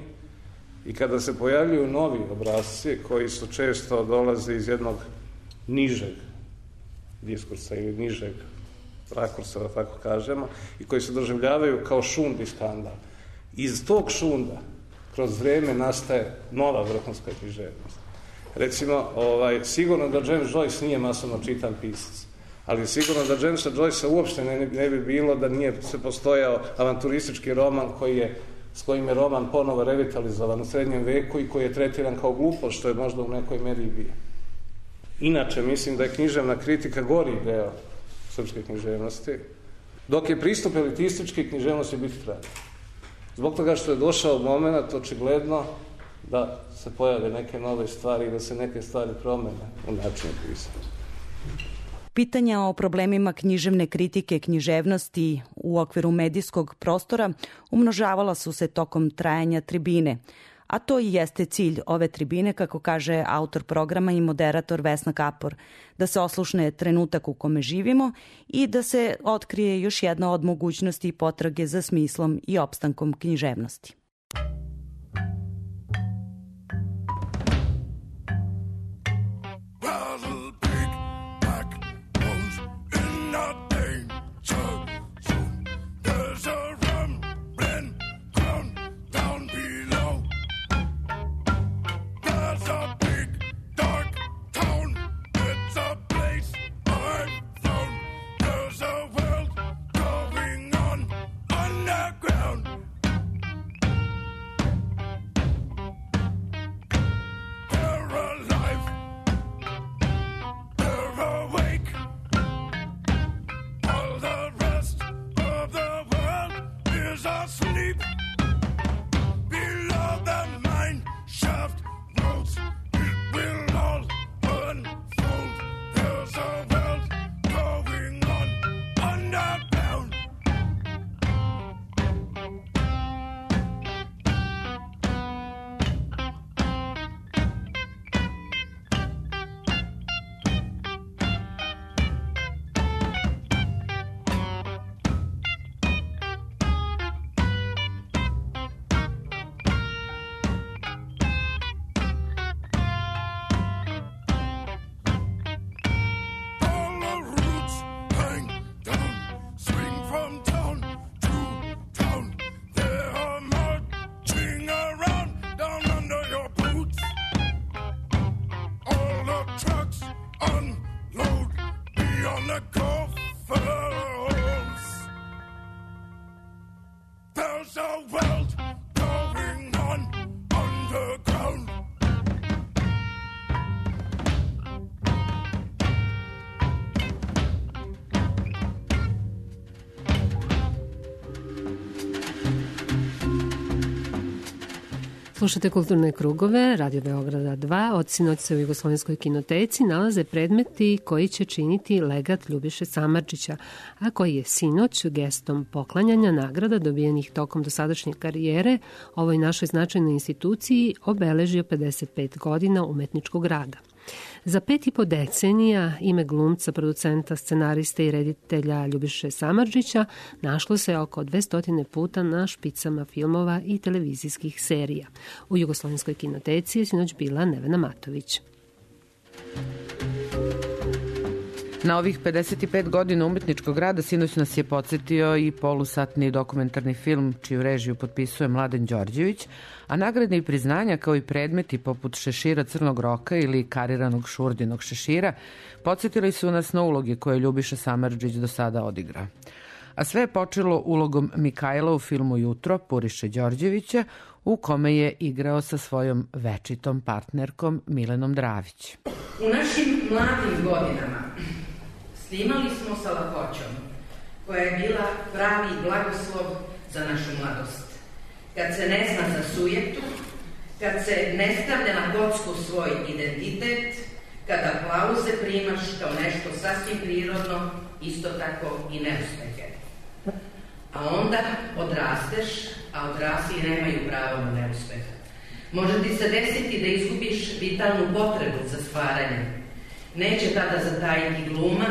i kada se pojavljuju novi obrasci koji su često dolaze iz jednog nižeg diskursa ili nižeg rakursa, da tako kažemo, i koji se doživljavaju kao šund i skandal. Iz tog šunda kroz vreme nastaje nova vrhunska književnost. Recimo, sigurno da James Joyce nije masovno čitan pisac, ali sigurno da Jamesa Joycea uopšte ne bi bilo da nije se postojao avanturistički roman s kojim je roman ponovo revitalizovan u srednjem veku i koji je tretiran kao glupost, što je možda u nekoj meri i bio. Inače, mislim da je književna kritika gori deo srpske književnosti, dok je pristup elitistički, književnost će biti trajna. Zbog toga što je došao moment, očigledno, da se pojave neke nove stvari i da se neke stvari promene u načinu pisanja. Pitanja o problemima književne kritike književnosti u okviru medijskog prostora umnožavala su se tokom trajanja tribine, a to i jeste cilj ove tribine, kako kaže autor programa i moderator Vesna Kapor, da se oslušne trenutak u kome živimo i da se otkrije još jedna od mogućnosti i potrage za smislom i opstankom književnosti. the coffers. There's a world going on underground. Slušate Kulturne krugove, Radio Beograda 2. Od sinoć se u Jugoslovenskoj kinoteci nalaze predmeti koji će činiti legat Ljubiše Samardžića, a koji je sinoć gestom poklanjanja nagrada dobijenih tokom dosadašnje karijere ovoj našoj značajnoj instituciji obeležio 55 godina umetničkog rada. Za 5,5 decenija ime glumca, producenta, scenariste i reditelja Ljubiše Samardžića našlo se oko 200 puta na špicama filmova i televizijskih serija. U Jugoslovenskoj kinoteci je sinoć bila Nevena Matović. Na ovih 55 godina umetničkog rada sinoć nas je podsjetio i polusatni dokumentarni film čiju režiju potpisuje Mladen Đorđević, a nagrade i priznanja kao i predmeti poput šešira Crnog roka ili kariranog Šurdinog šešira podsjetili su nas na uloge koje Ljubiša Samardžić do sada odigra. A sve je počelo ulogom Mikajla u filmu Jutro Puriše Đorđevića, u kome je igrao sa svojom večitom partnerkom Milenom Dravić. U našim mladim godinama snimali smo sa lakoćom, koja je bila pravi blagoslov za našu mladost. Kad se ne zna za sujetu, kad se ne stavlja na kocku svoj identitet, kad aplauze primaš kao nešto sasvim prirodno, isto tako i neuspehe. A onda odrasteš, a odrasli nemaju pravo na neuspeh. Može ti se desiti da izgubiš vitalnu potrebu za stvaranje. Neće tada zatajiti gluma,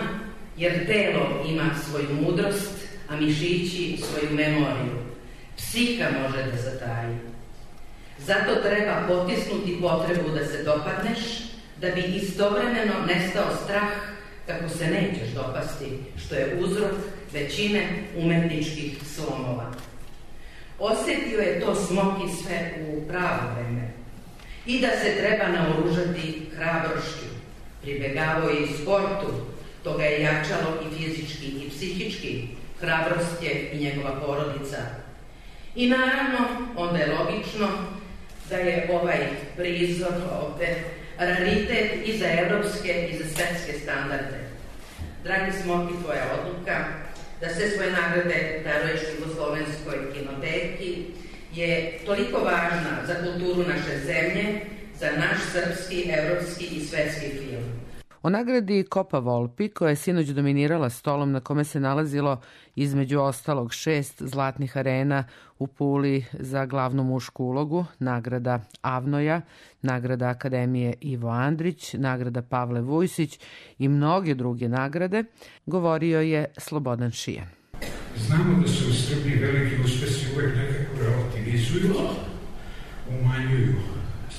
jer telo ima svoju mudrost, a mišići svoju memoriju. Psiha može da zataji. Zato treba potisnuti potrebu da se dopadneš, da bi istovremeno nestao strah kako se nećeš dopasti, što je uzrok većine umetničkih slomova. Osjetio je to Smoki sve u pravo vreme i da se treba naoružati hrabrošću. Pribegavao je i sportu, to ga je jačalo i fizički i psihički, hrabrost je i njegova porodica. I naravno, onda je logično da je ovaj prizor ovde raritet i za evropske i za svetske standarde. Dragi Smoki, tvoja odluka da sve svoje nagrade daruješ Jugoslovenskoj kinoteki je toliko važna za kulturu naše zemlje, za naš srpski, evropski i svetski film. O nagradi Kopa Volpi, koja je sinoć dominirala stolom na kome se nalazilo između ostalog 6 zlatnih arena u Puli za glavnu mušku ulogu, nagrada Avnoja, nagrada Akademije Ivo Andrić, nagrada Pavle Vujsić i mnoge druge nagrade, govorio je Slobodan Šijan. Znamo da se u Srbiji veliki uspesi uvek nekako relativizuju, umanjuju.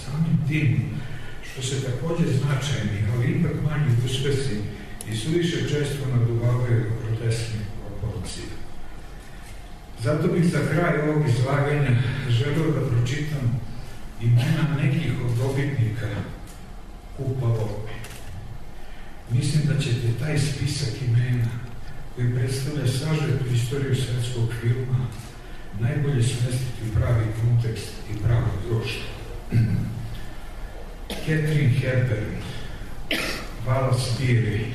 Samim tim što se takođe značajni, ali ipak manji uspesi i suviše često naduvavaju groteskne proporcije. Zato bih za kraj ovog izlaganja želeo da pročitam imena nekih od dobitnika Kupa Volpi. Mislim da ćete taj spisak imena koji predstavlja sažetu istoriju svetskog filma najbolje smestiti u pravi kontekst i pravo društvo. Catherine Hepburn, Wallace Beery,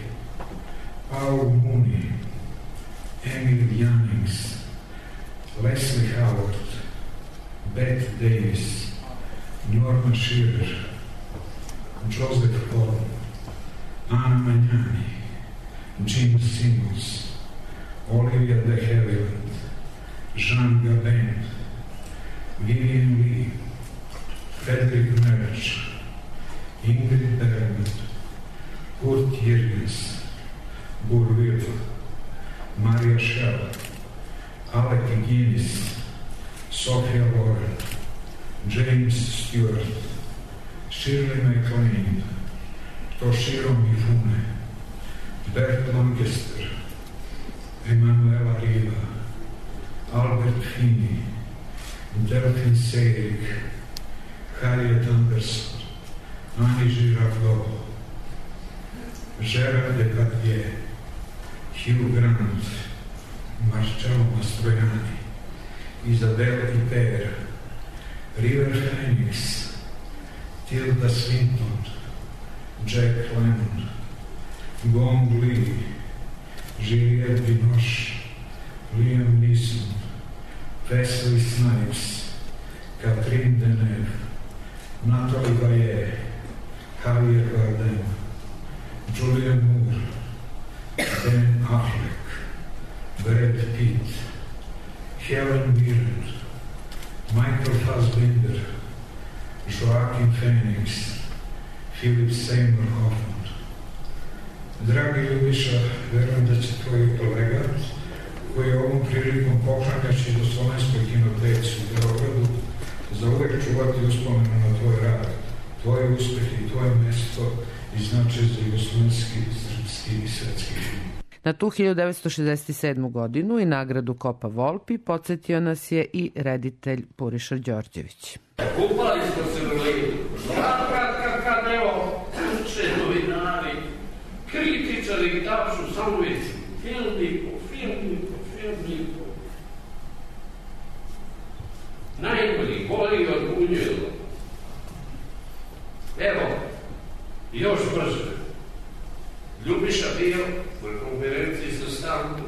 Paul Mooney, Emil Jannings, Leslie Howard, Bette Davis, Norma Shearer, Joseph Horn, Anna Magnani, Jim Simmons, Olivia de Havilland, Jean Gabin, Vivian Lee, Frederick Merch, Ingrid Bergman, Kurt Jürgens, Burville, Maria Schell, Alec Guinness, Sophia Loren, James Stewart, Shirley MacLaine, Toshiro Mifune, Bert Lancaster, Emanuela Riva, Albert Finney, Delphine Seyrig, Harriet Anderson, Annie Girardot, Gérard Depardieu, Hugh Grant, Marcello Mastroianni, Isabelle Huppert, River Phoenix, Tilda Swinton, Jack Lemmon, Gong Li, Juliette Binoche, Liam Neeson, Wesley Snipes, Catherine Deneuve, Nathalie Bayer, Javier Bardem, Julianne Moore, Ben Affleck, Brad Pitt, Helen Mirren, Michael Fassbender, Joaquin Phoenix, Philip Seymour Hoffman. Dragi Ljubiša, verujem da će tvoj kolega, koji je ovom prilikom poklanjaći do Slovenskoj kinoteci u Beogradu, za uvek čuvati uspomenu na tvoj rad, tvoje uspehe i tvoje mesto i značaj za jugoslovenski, srpski i svetski film. Na tu 1967. godinu i nagradu Kopa Volpi podsjetio nas je i reditelj Puriša Đorđević. Kupali smo se u lidu. Kad evo, uče novinari, kritičari tapšu samo vici. Filmipo. Najbolji, bolji od Bunjela. Evo, još brže. Ljubiša bio na konferenciji sa Stankom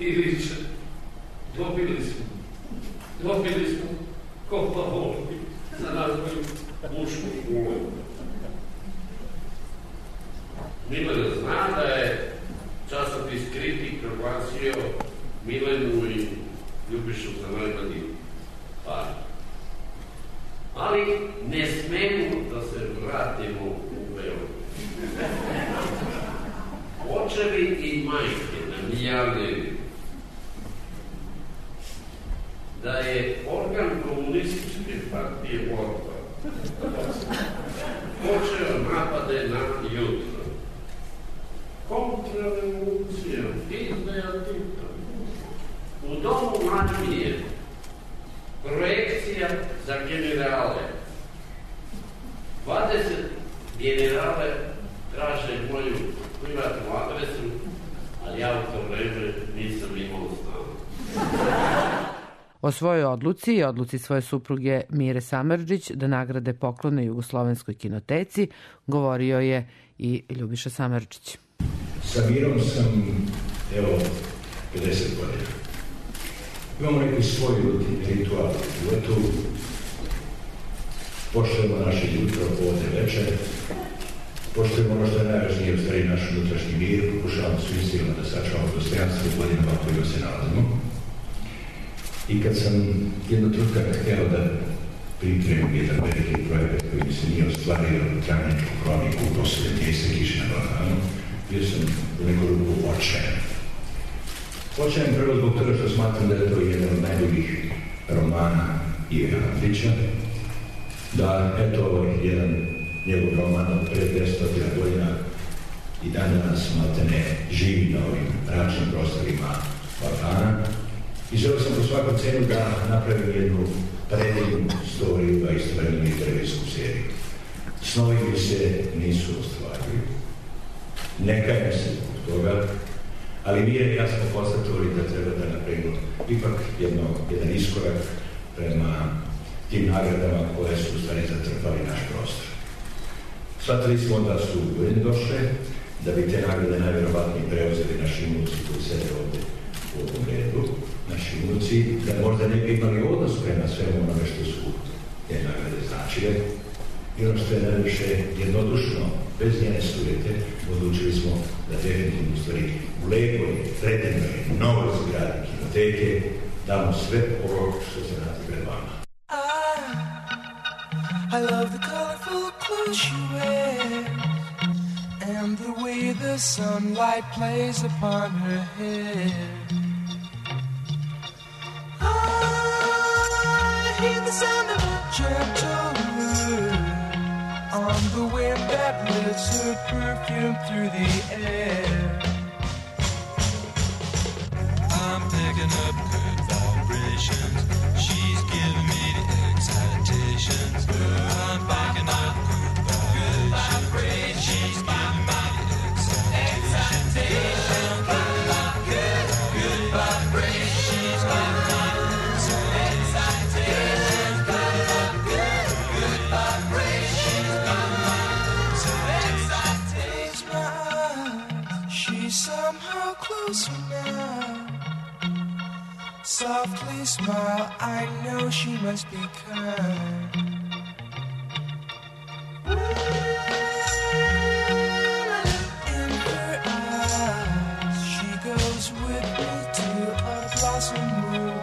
i viče, dobili smo Kopa Volpi za najbolju mušku ulogu. Milena zna da je časopis Kritik proglasio Milenu i Ljubišu za najbolji par. Ali ne smemo da se vratimo u Beograd. Očevi i majke nam javljaju da je organ komunističke partije Borba počeo napade na jutro. Kontrarevolucija, izdaja Tita. U domu Mačmije projekcija za generale. 20 generale traže moju privatnu adresu, ali ja u to vreme nisam imao stanu. O svojoj odluci i odluci svoje supruge Mire Samardžić da nagrade poklone Jugoslovenskoj kinoteci govorio je i Ljubiša Samardžić. Sa Mirom sam, evo, 50 godina. Imamo neki svoj ritual u životu. Poštujemo naše jutro, podne, večer. Poštujemo ono što je najvažnije, u stvari naš unutrašnji mir. Pokušavamo svim silama da sačuvamo dostojanstvo u godinama u kojima se nalazimo. I kad sam jedno trutka htjela da pripremim jedan veliki projekat koji mi se nije ostvario Travničku kroniku u posljednje mjeseca kiše na Balkanu, bio sam u neku ruku očajan. Očajan prvo zbog toga što smatram da je to jedan od najboljih romana Ive Andrića, da eto ovo jedan njegov roman od pre 200 godina i dan danas maltene živi na ovim mračnim prostorima Balkana. I želeo sam po svakom cenu da napravim jednu predivnu storiju, a istovremeno i televizijsku seriju. Snovi mi se nisu ostvarili. Ne kajem se zbog toga, ali mi je jasno konstatovali da treba da napravimo ipak jedan iskorak prema tim nagradama koje su u stvari zatrpali naš prostor. Shvatili smo da su ujedno došle, da bi te nagrade najvjerovatnije preuzeli naši unuci koji sede ovde u ovom redu, naši unuci, da možda ne bi imali odnos prema svemu onome što su te nagrade značile. I ono što je najviše jednodušno, bez njene sujete, odlučili smo da definitivno u stvari u lepoj, predivnoj, novoj zgradi kinoteke damo sve ovo što se nalazi pred vama. I love the colorful clothes she wears and the way the sunlight plays upon her hair. I hear the sound of a gentle wind on the wind that lifts her perfume through the air. I'm picking up good vibrations. She's giving me the excitations. I'm picking up good vibrations. She's giving me the excitations. closer now. Softly smile, I know she must be kind. In her eyes, she goes with me to a blossom room.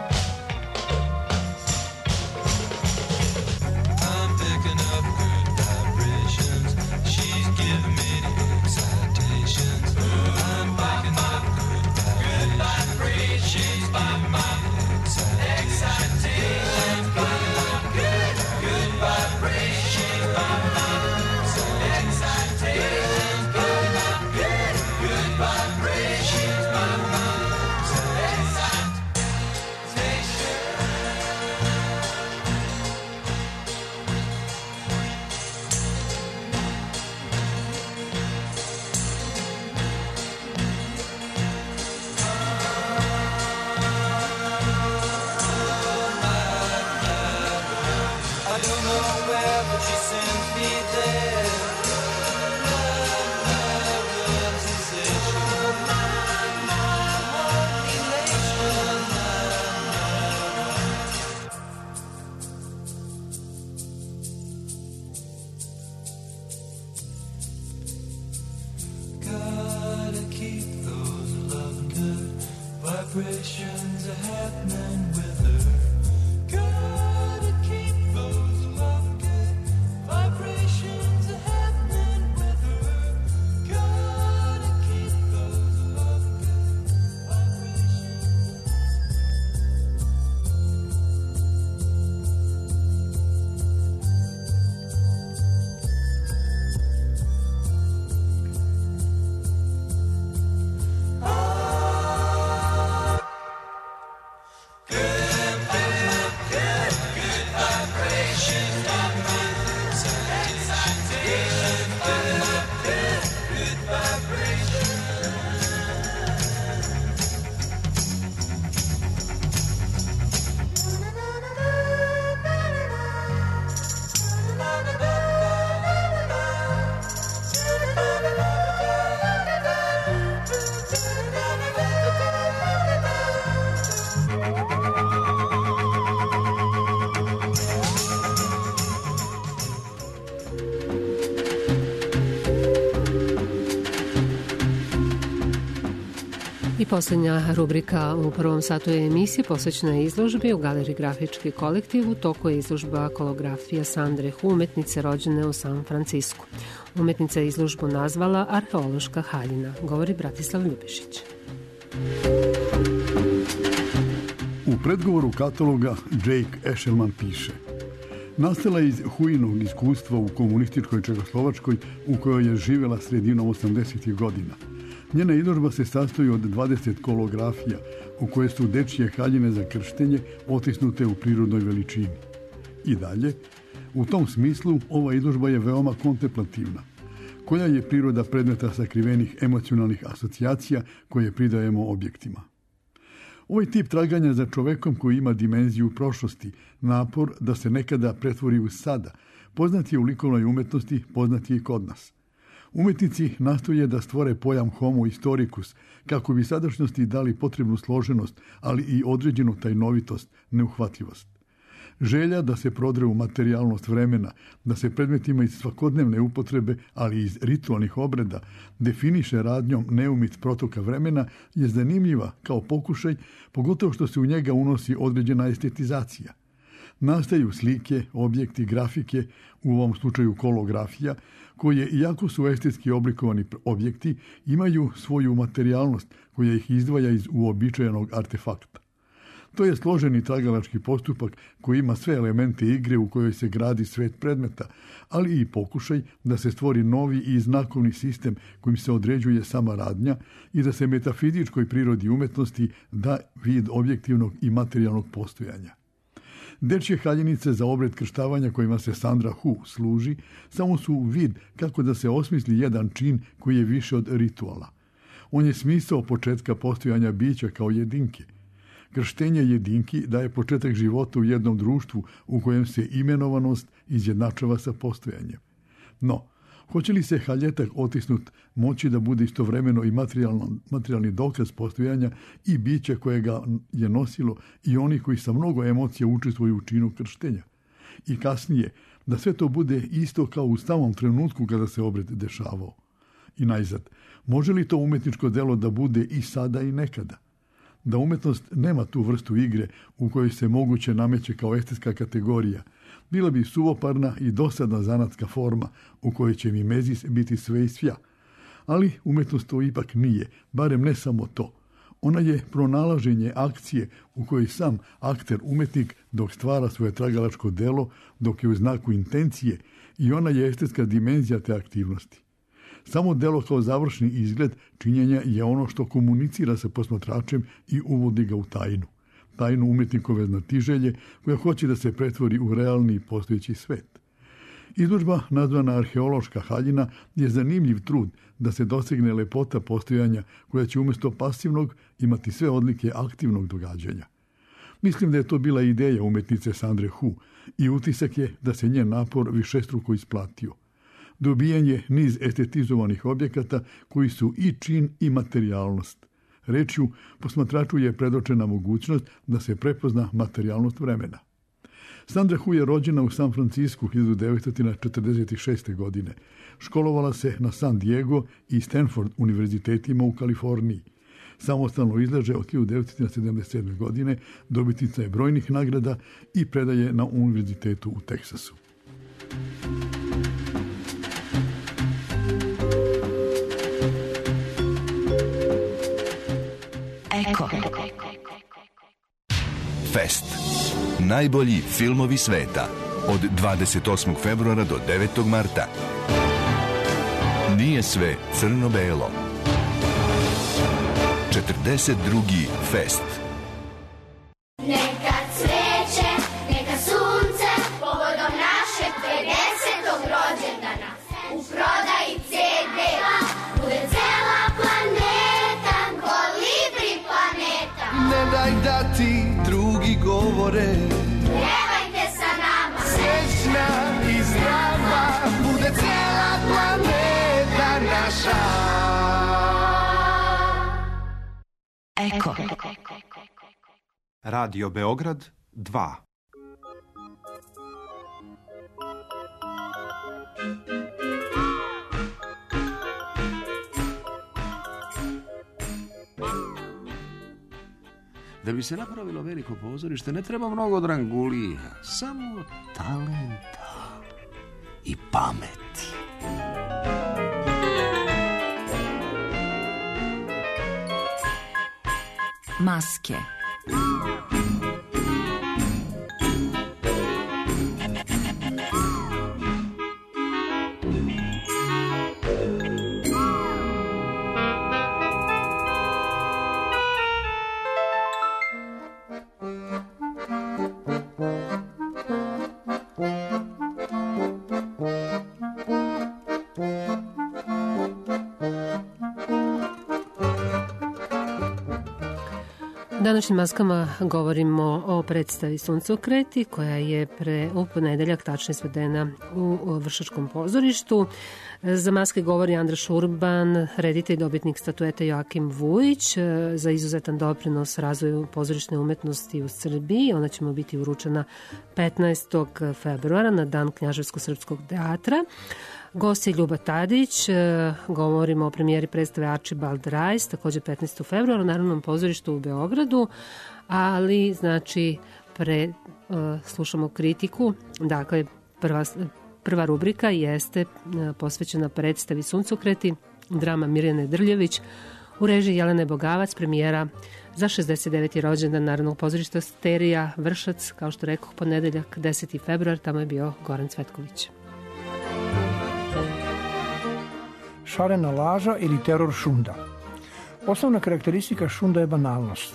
I'm picking up good vibrations. She's giving me the excitations. I'm picking up good vibrations. She's giving me the excitations. Good vibrations. Excitations. Good vibrations. I don't know where, but she sends me there. Love, sensation. Gotta keep those loving good vibrations happening with her. Gotta keep those loving good vibrations happening with her. Gotta keep those loving good vibrations. I posljednja rubrika u prvom satu emisije posvećena je izložbi u Galeriji Grafički kolektiv. U toku je izložba kolografija Sandre Hu, umetnice rođene u San Francisku. Umetnica je izložbu nazvala Arheološka haljina, govori Bratislav Ljubišić. U predgovoru kataloga Jake Eshelman piše: nastala je iz Huinog iskustva u komunističkoj Čekoslovačkoj u kojoj je živjela sredinom 80. godina. Njena izložba se sastoji od 20 kolografija u koje su dečije haljine za krštenje otisnute u prirodnoj veličini. I dalje, u tom smislu ova izložba je veoma kontemplativna. Koja je priroda predmeta sakrivenih emocionalnih asocijacija koje pridajemo objektima? Ovaj tip traganja za čovekom koji ima dimenziju prošlosti, napor da se nekada pretvori u sada, poznat je u likovnoj umetnosti, poznat je i kod nas. Umetnici nastoje da stvore pojam homo historicus, kako bi sadašnjosti dali potrebnu složenost, ali i određenu tajnovitost, neuhvatljivost. Želja da se prodre u materijalnost vremena, da se predmetima iz svakodnevne upotrebe, ali i iz ritualnih obreda, definiše radnjom neumit protoka vremena, je zanimljiva kao pokušaj, pogotovo što se u njega unosi određena estetizacija. Nastaju slike, objekti, grafike, u ovom slučaju kolografija, koje, iako su estetski oblikovani objekti, imaju svoju materijalnost koja ih izdvaja iz uobičajenog artefakta. To je složeni tragalački postupak koji ima sve elemente igre u kojoj se gradi svet predmeta, ali i pokušaj da se stvori novi i znakovni sistem kojim se određuje sama radnja i da se metafizičkoj prirodi umetnosti da vid objektivnog i materijalnog postojanja. Dečje haljinice za obred krštavanja kojima se Sandra Hu služi samo su vid kako da se osmisli jedan čin koji je više od rituala. On je smisao početka postojanja bića kao jedinke. Krštenje jedinki daje početak života u jednom društvu u kojem se imenovanost izjednačava sa postojanjem. No, Hoće li se haljetak otisnut moći da bude istovremeno i materijalni dokaz postojanja i bića koje ga je nosilo i oni koji sa mnogo emocija učestvuju u činu krštenja? I kasnije, da sve to bude isto kao u samom trenutku kada se obred dešavao. I najzad, može li to umetničko delo da bude i sada i nekada? Da umetnost nema tu vrstu igre u kojoj se moguće nameće kao estetska kategorija, bila bi suvoparna i dosadna zanatska forma u kojoj će mimezis biti sve i svja. Ali umetnost to ipak nije, barem ne samo to. Ona je pronalaženje akcije u kojoj sam akter umetnik dok stvara svoje tragalačko delo, dok je u znaku intencije, i ona je estetska dimenzija te aktivnosti. Samo delo kao završni izgled činjenja je ono što komunicira sa posmatračem i uvodi ga u tajnu. Tajnu umetnikove znatiželje koja hoće da se pretvori u realni postojeći svet. Izložba nazvana Arheološka haljina je zanimljiv trud da se dosegne lepota postojanja koja će umjesto pasivnog imati sve odlike aktivnog događanja. Mislim da je to bila ideja umetnice Sandre Hu i utisak je da se njen napor višestruko isplatio. Dobijan je niz estetizovanih objekata koji su i čin i materijalnost. Rečju, posmatraču je predočena mogućnost da se prepozna materijalnost vremena. Sandra Hu je rođena u San Francisku 1946. godine. Školovala se na San Diego i Stanford univerzitetima u Kaliforniji. Samostalno izlaže od 1977. godine, dobitnica je brojnih nagrada i predaje na univerzitetu u Teksasu. Eko. Fest. Najbolji filmovi sveta. Od 28. februara do 9. marta. Nije sve crno-belo. 42. Fest. Neka cveće, neka sunce, povodom našeg 50. rođendana. U prodaji CD-a bude cela planeta, kolibri planeta. Ne daj da ti drugi govore, Pjevajte sa nama, srećna i zdrava, bude cela planeta naša. Eko. Radio Beograd 2. Da bi se napravilo veliko pozorište, ne treba mnogo drangulija, samo talenta i pameti. Maske. Današnjim maskama govorimo o predstavi Suncokreti koja je u ponedeljak tačno izvedena u Vršačkom pozorištu. Za maske govori Andra Šurban, reditelj, dobitnik statuete Joakim Vujić za izuzetan doprinos razvoju pozorišne umetnosti u Srbiji. Ona će mu biti uručena 15. februara na dan Knjaževsko-srpskog teatra. Gost je Ljuba Tadić, govorimo o premijeri predstave Archibald Rice, također 15. februara u Narodnom pozorištu u Beogradu, ali znači slušamo kritiku, dakle prva rubrika jeste posvećena predstavi Suncokreti, drama Mirjane Drljević, u režiji Jelene Bogavac, premijera za 69. rođendan Narodnog pozorišta Sterija Vršac, kao što rekoh, ponedeljak 10. februar, tamo je bio Goran Cvetković. Šarena laža ili teror šunda. Osnovna karakteristika šunda je banalnost.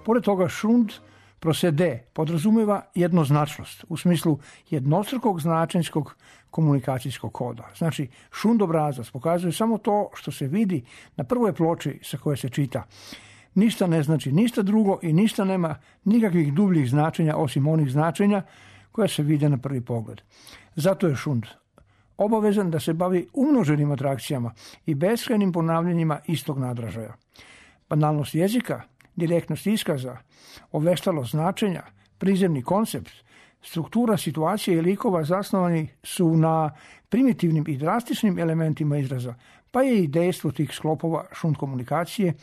Pored toga šund prosede podrazumeva jednoznačnost u smislu jednostrukog značenjskog komunikacijskog koda. Znači, šund obrazac pokazuje samo to što se vidi na prvoj ploči sa koje se čita. Ništa ne znači ništa drugo i ništa nema nikakvih dubljih značenja osim onih značenja koja se vide na prvi pogled. Zato je šund obavezan da se bavi umnoženim atrakcijama i beskrajnim ponavljanjima istog nadražaja. Banalnost jezika, direktnost iskaza, oveštalost značenja, prizemni koncept, struktura situacije i likova zasnovani su na primitivnim i drastičnim elementima izraza, pa je i dejstvo tih sklopova šund komunikacije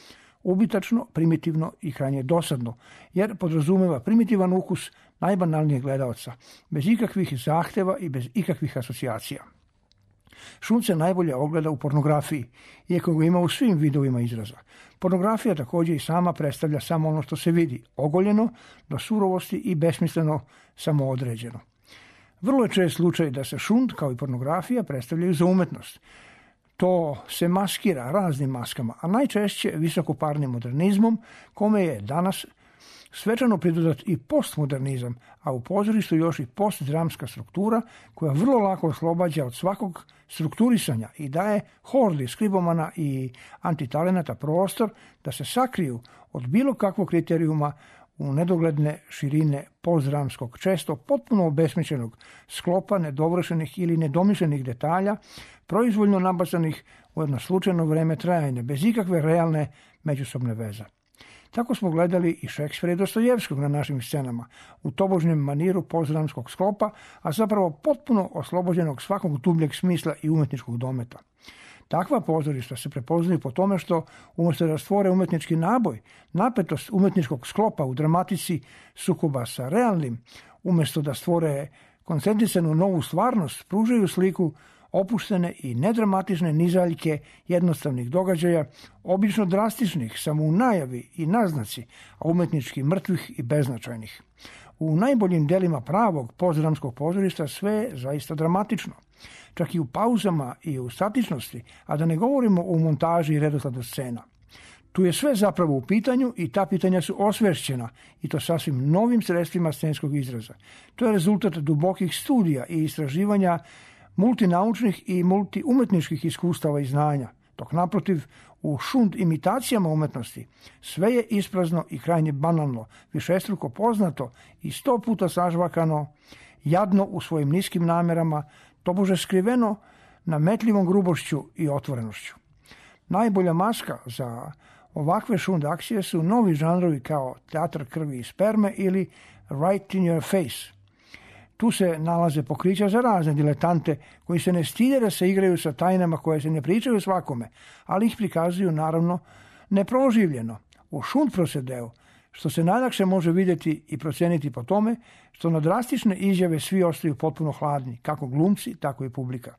ubitačno, primitivno i krajnje dosadno, jer podrazumeva primitivan ukus najbanalnijeg gledaoca, bez ikakvih zahteva i bez ikakvih asocijacija. Šund se najbolje ogleda u pornografiji, iako ga ima u svim vidovima izraza. Pornografija također i sama predstavlja samo ono što se vidi, ogoljeno, do surovosti i besmisleno samoodređeno. Vrlo je čest slučaj da se šund, kao i pornografija, predstavljaju za umetnost. To se maskira raznim maskama, a najčešće visokoparnim modernizmom, kome je danas svečano pridodat i postmodernizam, a u pozorištu još i postdramska struktura koja vrlo lako oslobađa od svakog strukturisanja i daje hordi skribomana i antitalenata prostor da se sakriju od bilo kakvog kriterijuma u nedogledne širine postdramskog, često potpuno obesmišljenog sklopa nedovršenih ili nedomišljenih detalja, proizvoljno nabacanih u jedno slučajno vreme trajanja, bez ikakve realne međusobne veze. Tako smo gledali i Šekspira i Dostojevskog na našim scenama, u tobožnjem maniru postdramskog sklopa, a zapravo potpuno oslobođenog svakog dubljeg smisla i umetničkog dometa. Takva pozorišta se prepoznaju po tome što, umjesto da stvore umetnički naboj, napetost umetničkog sklopa u dramatici sukoba sa realnim, umjesto da stvore koncentrisanu novu stvarnost, pružaju sliku opuštene i nedramatične nizaljke jednostavnih događaja, obično drastičnih samo u najavi i naznaci, a umjetnički mrtvih i beznačajnih. U najboljim delima pravog postdramskog pozorišta sve je zaista dramatično, čak i u pauzama i u statičnosti, a da ne govorimo o montaži i redosladu scena. Tu je sve zapravo u pitanju i ta pitanja su osvešćena, i to sasvim novim sredstvima scenskog izraza. To je rezultat dubokih studija i istraživanja multinaučnih i multiumetničkih iskustava i znanja, dok naprotiv u šund imitacijama umetnosti sve je isprazno i krajnje banalno, višestruko poznato i 100 puta sažvakano, jadno u svojim niskim namerama, tobože skriveno nametljivom grubošću i otvorenošću. Najbolja maska za ovakve šund akcije su novi žanrovi kao teatr krvi i sperme ili right in your face. Tu se nalaze pokrića za razne diletante koji se ne stide da se igraju sa tajnama koje se ne pričaju svakome, ali ih prikazuju naravno neproživljeno, u šund procedeu, što se najlakše može vidjeti i proceniti po tome što na drastične izjave svi ostaju potpuno hladni, kako glumci, tako i publika.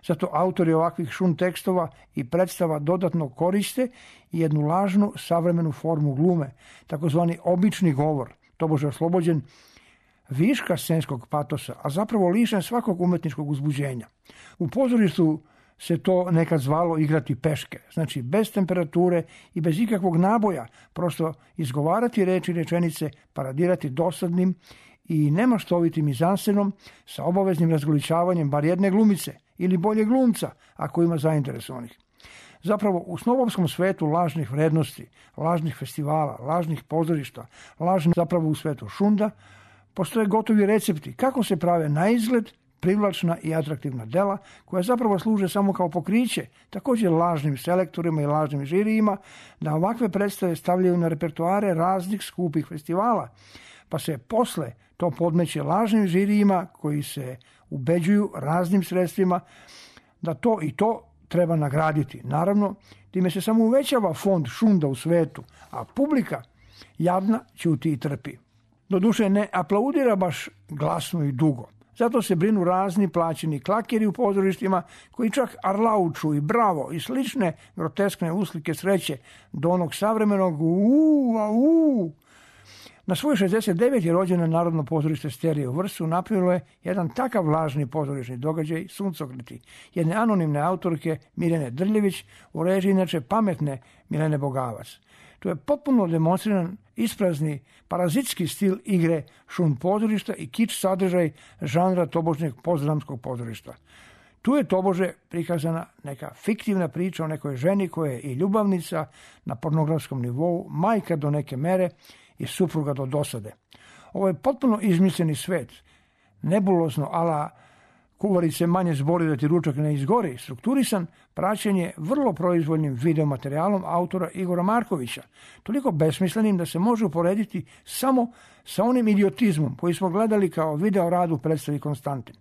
Zato autori ovakvih šund tekstova i predstava dodatno koriste jednu lažnu savremenu formu glume, takozvani obični govor, tobože oslobođen viška scenskog patosa, a zapravo lišen svakog umetničkog uzbuđenja. U pozorištu se to nekad zvalo igrati peške, znači bez temperature i bez ikakvog naboja, prosto izgovarati reči i rečenice, paradirati dosadnim i nemaštovitim mizansenom sa obaveznim razgoličavanjem bar jedne glumice ili bolje glumca, ako ima zainteresovanih. Zapravo, u snobovskom svetu lažnih vrednosti, lažnih festivala, lažnih pozorišta, zapravo u svetu šunda, postoje gotovi recepti kako se prave na izgled privlačna i atraktivna dela koja zapravo služe samo kao pokriće, također lažnim selektorima i lažnim žirijima, da ovakve predstave stavljaju na repertoare raznih skupih festivala, pa se posle to podmeće lažnim žirijima koji se ubeđuju raznim sredstvima da to i to treba nagraditi. Naravno, time se samo uvećava fond šunda u svetu, a publika jadna ćuti i trpi. Doduše ne aplaudira baš glasno i dugo. Zato se brinu razni plaćeni klakeri u pozorištima koji čak arlauču i bravo i slične groteskne uslike sreće do onog savremenog Na svoj 69. rođendan Narodno pozorište Stereo u Vrsu napravilo je jedan takav lažni pozorišni događaj Suncokreti, jedne anonimne autorke Mirjane Drljević u režiji inače pametne Milene Bogavac. To je potpuno demonstriran isprazni parazitski stil igre šund pozorišta i kič sadržaj žanra tobožnjeg postdramskog pozorišta. Tu je tobože prikazana neka fiktivna priča o nekoj ženi koja je i ljubavnica na pornografskom nivou, majka do neke mere i supruga do dosade. Ovo je potpuno izmišljeni svet, nebulozno ala kuvarice manje zbori da ti ručak ne izgori, strukturisan, praćen je vrlo proizvoljnim videomaterijalom autora Igora Markovića, toliko besmislenim da se može uporediti samo sa onim idiotizmom koji smo gledali kao video rad u predstavi Konstantin.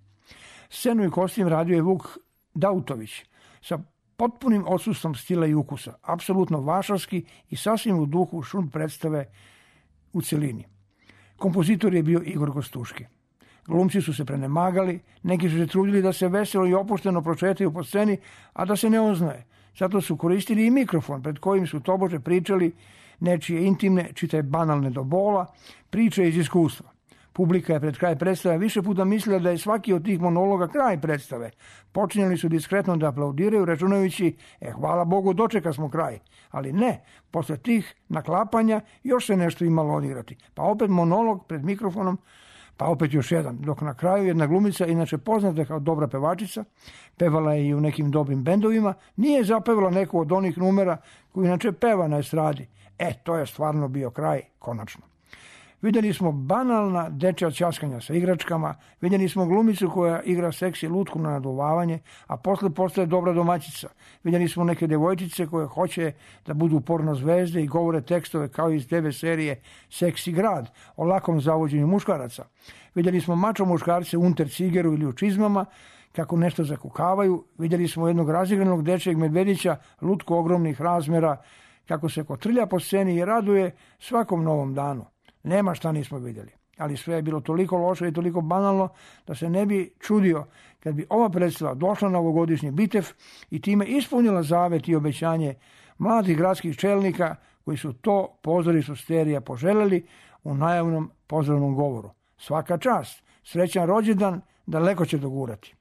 Scenu i kostim radio je Vuk Dautović sa potpunim odsustvom stila i ukusa, apsolutno vašarski i sasvim u duhu šund predstave u celini. Kompozitor je bio Igor Gostuški. Glumci su se prenemagali, neki su se trudili da se veselo i opušteno prošetaju po sceni, a da se ne oznaje. Zato su koristili i mikrofon pred kojim su tobože pričali nečije intimne, čitaj banalne do bola, priče iz iskustva. Publika je pred kraj predstave više puta mislila da je svaki od tih monologa kraj predstave. Počinjali su diskretno da aplaudiraju, računajući, hvala Bogu, dočeka smo kraj. Ali ne, posle tih naklapanja još se nešto imalo odigrati. Pa opet monolog pred mikrofonom, pa opet još jedan, dok na kraju jedna glumica, inače poznata kao dobra pevačica, pevala je i u nekim dobrim bendovima, nije zapevala neku od onih numera koji inače peva na estradi. To je stvarno bio kraj, konačno. Vidjeli smo banalna dečja ćaskanja sa igračkama, vidjeli smo glumicu koja igra seksi lutku na naduvavanje, a posle postaje dobra domaćica. Vidjeli smo neke devojčice koje hoće da budu porno zvezde i govore tekstove kao iz TV serije Seksi grad o lakom zavođenju muškaraca. Vidjeli smo mačo muškarce u untercigeru ili u čizmama kako nešto zakukavaju. Vidjeli smo jednog razigranog dečjeg medvedića lutku ogromnih razmera kako se kotrlja po sceni i raduje svakom novom danu. Nema šta nismo vidjeli, ali sve je bilo toliko loše i toliko banalno da se ne bi čudio kad bi ova predstava došla na ovogodišnji Bitev i time ispunila zavet i obećanje mladih gradskih čelnika koji su to pozorištu Sterija poželjeli u najavnom pozdravnom govoru. Svaka čast, srećan rođendan, daleko će dogurati.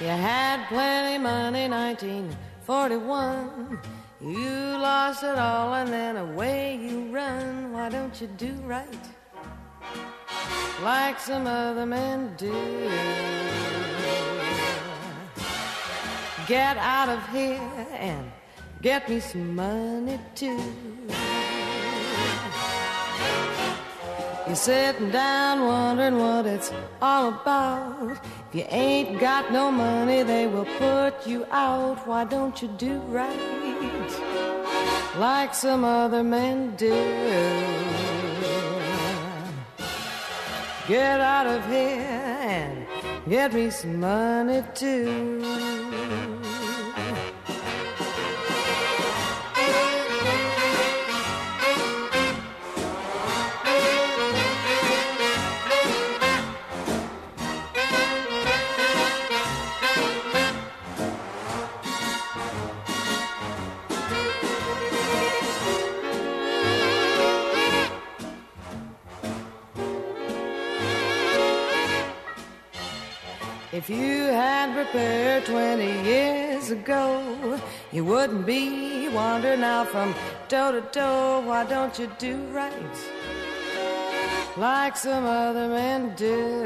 You had plenty money, 1941. You lost it all and then away you run. Why don't you do right like some other men do? Get out of here and get me some money too. You're sitting down wondering what it's all about. If you ain't got no money, they will put you out. Why don't you do right like some other men do? Get out of here and get me some money too. If you had prepared 20 years ago, you wouldn't be wandering out from toe to toe. Why don't you do right like some other men do?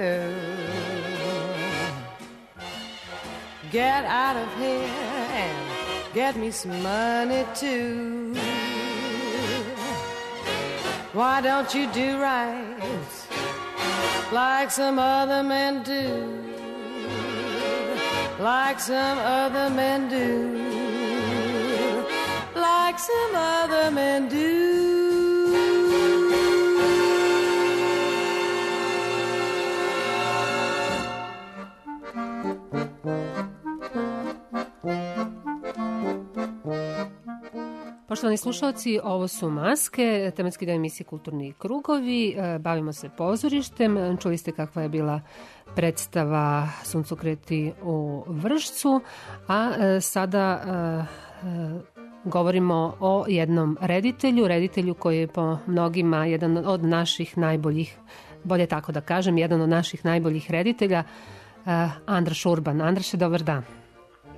Get out of here and get me some money too. Why don't you do right like some other men do? Like some other men do, like some other men do. Poštovani slušalci, ovo su Maske, tematski dan emisije Kulturni krugovi. Bavimo se pozorištem. Čuli ste kakva je bila predstava Suncokreti u Vršcu, a sada govorimo o jednom reditelju koji je po mnogima jedan od naših najboljih, bolje tako da kažem, jedan od naših najboljih reditelja, Andraš Urban. Andraše, dobar dan.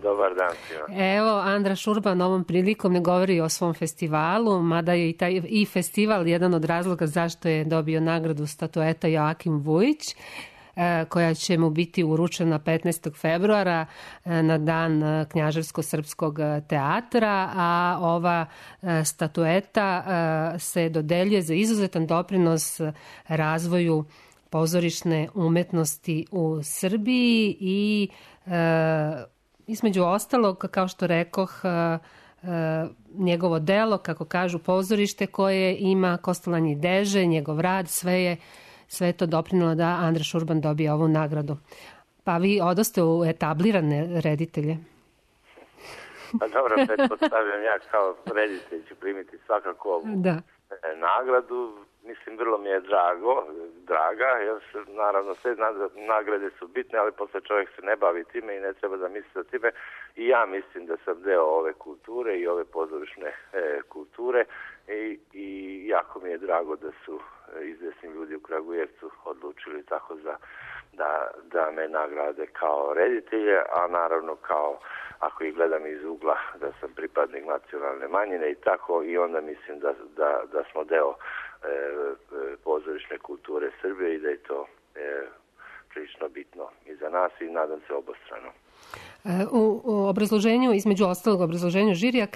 Dobar dan svima. Evo, Andraš Urban ovom prilikom ne govori o svom festivalu, mada je i festival jedan od razloga zašto je dobio nagradu statueta Joakim Vujić. koja će mu biti uručena 15. februara na dan Knjaževsko-srpskog teatra, a ova statueta se dodeljuje za izuzetan doprinos razvoju pozorišne umetnosti u Srbiji i između ostalog, kao što rekoh, njegovo delo, kako kažu, pozorište koje ima Kostolanje Deže, njegov rad, sve je to doprinilo da Andraš Urban dobije ovu nagradu. Pa vi odoste u etablirane reditelje. Pa dobro, pretpostavljam ja kao reditelj ću primiti svakako ovu nagradu. Mislim, vrlo mi je draga, jer naravno sve nagrade su bitne, ali posle čovjek se ne bavi time i ne treba da misli o time. I ja mislim da sam deo ove kulture i ove pozorišne kulture i jako mi je drago da su izvesni ljudi u Kragujevcu odlučili tako da me nagrade kao reditelje, a naravno kao, ako ih gledam iz ugla, da sam pripadnik nacionalne manjine i tako, i onda mislim da smo deo pozorišne kulture Srbije i da je to prilično bitno i za nas i nadam se obostrano. U obrazloženju, između ostalog obrazloženju žirija,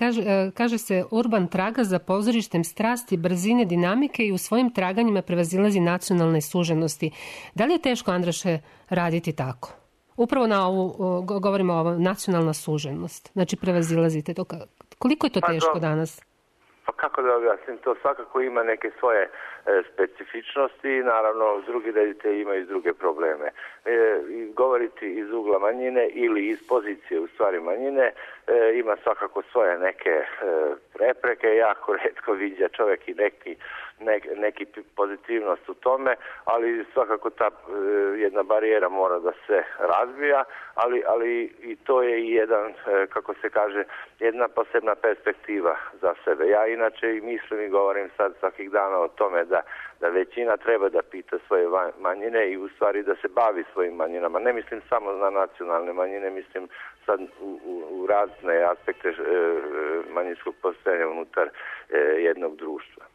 kaže se Urban traga za pozorištem strasti, brzine, dinamike i u svojim traganjima prevazilazi nacionalne suženosti. Da li je teško, Andraše, raditi tako? Upravo na ovu, govorimo o ovoj nacionalna suženost. Znači, prevazilazite to. Koliko je to teško danas? Pa kako da objasnim, to svakako ima neke svoje specifičnosti i naravno drugi reditelji imaju druge probleme. Govoriti iz ugla manjine ili iz pozicije u stvari manjine ima svakako svoje neke prepreke, jako retko viđa čovjek i neki pozitivnost u tome, ali svakako ta jedna barijera mora da se razbija, ali i to je jedan, kako se kaže, jedna posebna perspektiva za sebe. Ja inače i mislim i govorim sad svakih dana o tome da većina treba da pita svoje manjine i u stvari da se bavi svojim manjinama. Ne mislim samo na nacionalne manjine, mislim sad u razne aspekte manjinskog postojanja unutar jednog društva.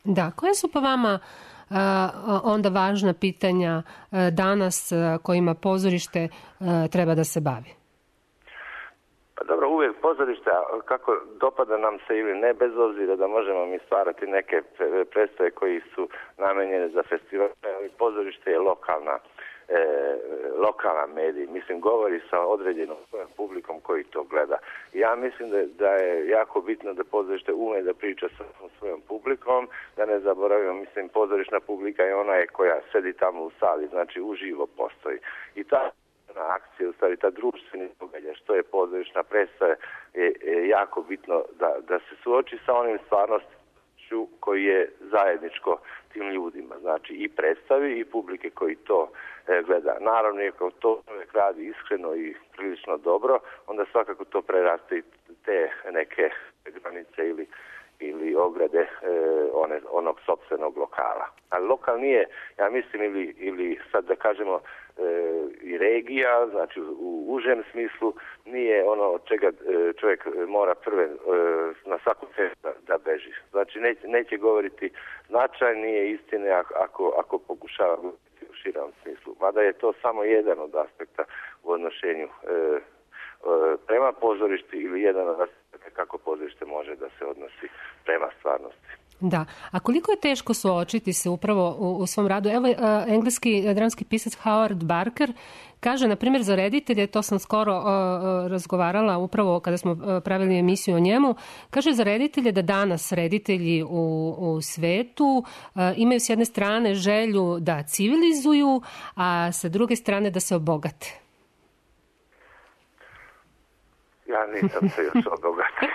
Da, koje su po vama onda važna pitanja danas kojima pozorište treba da se bavi? Pa dobro, uvijek pozorište, kako dopada nam se ili ne, bez obzira da možemo mi stvarati neke predstave koji su namenjene za festival, ali pozorište je lokalna medij, mislim, govori sa određenom publikom koji to gleda. Ja mislim da je jako bitno da pozorište ume da priča sa svojom publikom, da ne zaboravimo, mislim, pozorišna publika je ona koja sedi tamo u sali, znači uživo postoji. I ta akcija, u stvari ta društveni događaj, što je pozorišna predstava, je jako bitno da se suoči sa onim stvarnošću koji je zajedničko tim ljudima, znači i predstavi i publike koji to gleda. Naravno, ako to čovjek radi iskreno i prilično dobro, onda svakako to preraste i te neke granice ili ograde onog sopstvenog lokala. Ali lokal nije, ja mislim, ili sad da kažemo i regija, znači u užem smislu, nije ono od čega čovjek mora prve na svaku cenu da beži. Znači neće govoriti značajnije istine ako pokušava govoriti u širom smislu. Mada je to samo jedan od aspekta u odnošenju prema pozorišti ili jedan od aspekta kako pozorište može da se odnosi prema stvarnosti. Da, a koliko je teško suočiti se upravo u svom radu? Evo, engleski dramski pisac Howard Barker kaže, na primjer, za reditelje, to sam skoro razgovarala upravo kada smo pravili emisiju o njemu, kaže za reditelje da danas reditelji u svetu imaju s jedne strane želju da civilizuju, a sa druge strane da se obogate. Ja nisam se još obogatio.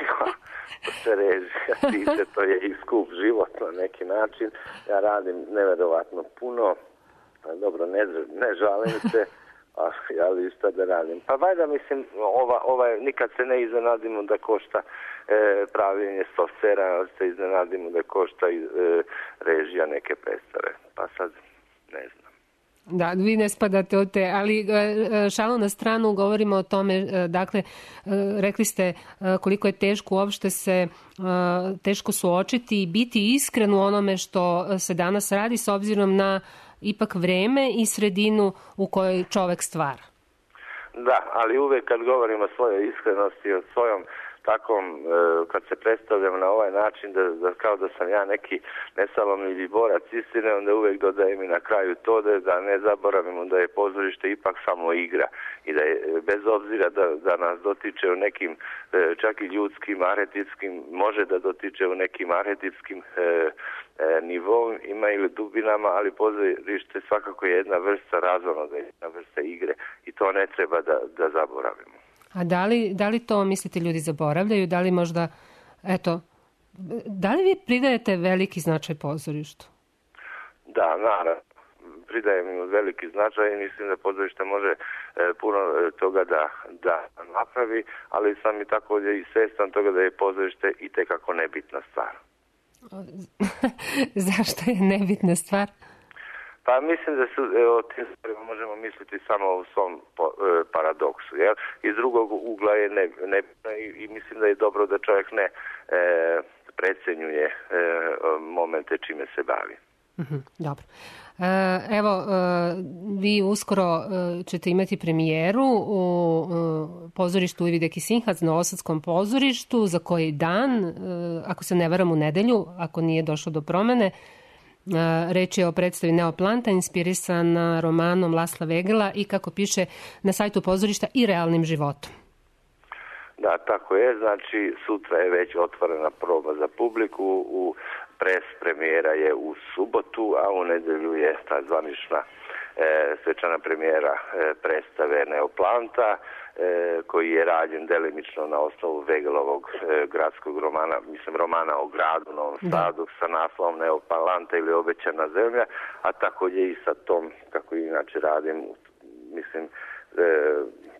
Se režija, to je i skup život na neki način. Ja radim neverovatno puno, dobro, ne žalim se, ali šta da radim. Pa valjda, mislim, nikad se ne iznenadimo da košta pravljenje softvera, se iznenadimo da košta režija neke predstave. Pa sad, ne znam. Da, vi ne spadate od te, ali šalu na stranu, govorimo o tome, dakle, rekli ste koliko je teško uopšte se teško suočiti i biti iskren u onome što se danas radi s obzirom na ipak vreme i sredinu u kojoj čovek stvara. Da, ali uvek kad govorimo o svojoj iskrenosti, o svojom takvom, kad se predstavljam na ovaj način, da kao da sam ja neki nesalomljivi borac istine, onda uvek dodajem i na kraju to da ne zaboravimo da je pozorište ipak samo igra i da je, bez obzira da nas dotiče u nekim čak i ljudskim, arhetipskim, može da dotiče u nekim arhetipskim nivom, ima ili dubinama, ali pozorište svakako je jedna vrsta razonoda, jedna vrsta igre i to ne treba da zaboravimo. A da li to, mislite, ljudi zaboravljaju? Da li možda, da li vi pridajete veliki značaj pozorištu? Da, naravno. Pridajem im veliki značaj i mislim da pozorište može puno toga da napravi, ali sam i također i svjestan toga da je pozorište itekako nebitna stvar. Zašto je nebitna stvar? Pa mislim da o tim stvarima možemo misliti samo u svom paradoksu. Jel? Iz drugog ugla je nebitno i mislim da je dobro da čovjek ne precenjuje momente čime se bavi. Dobro. Evo, vi uskoro ćete imati premijeru u pozorištu Ividek i Sinhac na Novosadskom pozorištu, za koji dan, ako se ne varam u nedelju, ako nije došlo do promene. Reč je o predstavi Neoplanta, inspirisan romanom Lasla Vegela i, kako piše na sajtu pozorišta, i realnim životom. Da, tako je. Znači, sutra je već otvorena proba za publiku, premijera je u subotu, a u nedelju je ta zvanična svečana premijera predstave Neoplanta, koji je rađen delimično na osnovu Vegelovog gradskog romana, romana o gradu Novom Sadu sa naslovom Neoplanta ili Obećana zemlja, a također i sa tom, kako inače radim,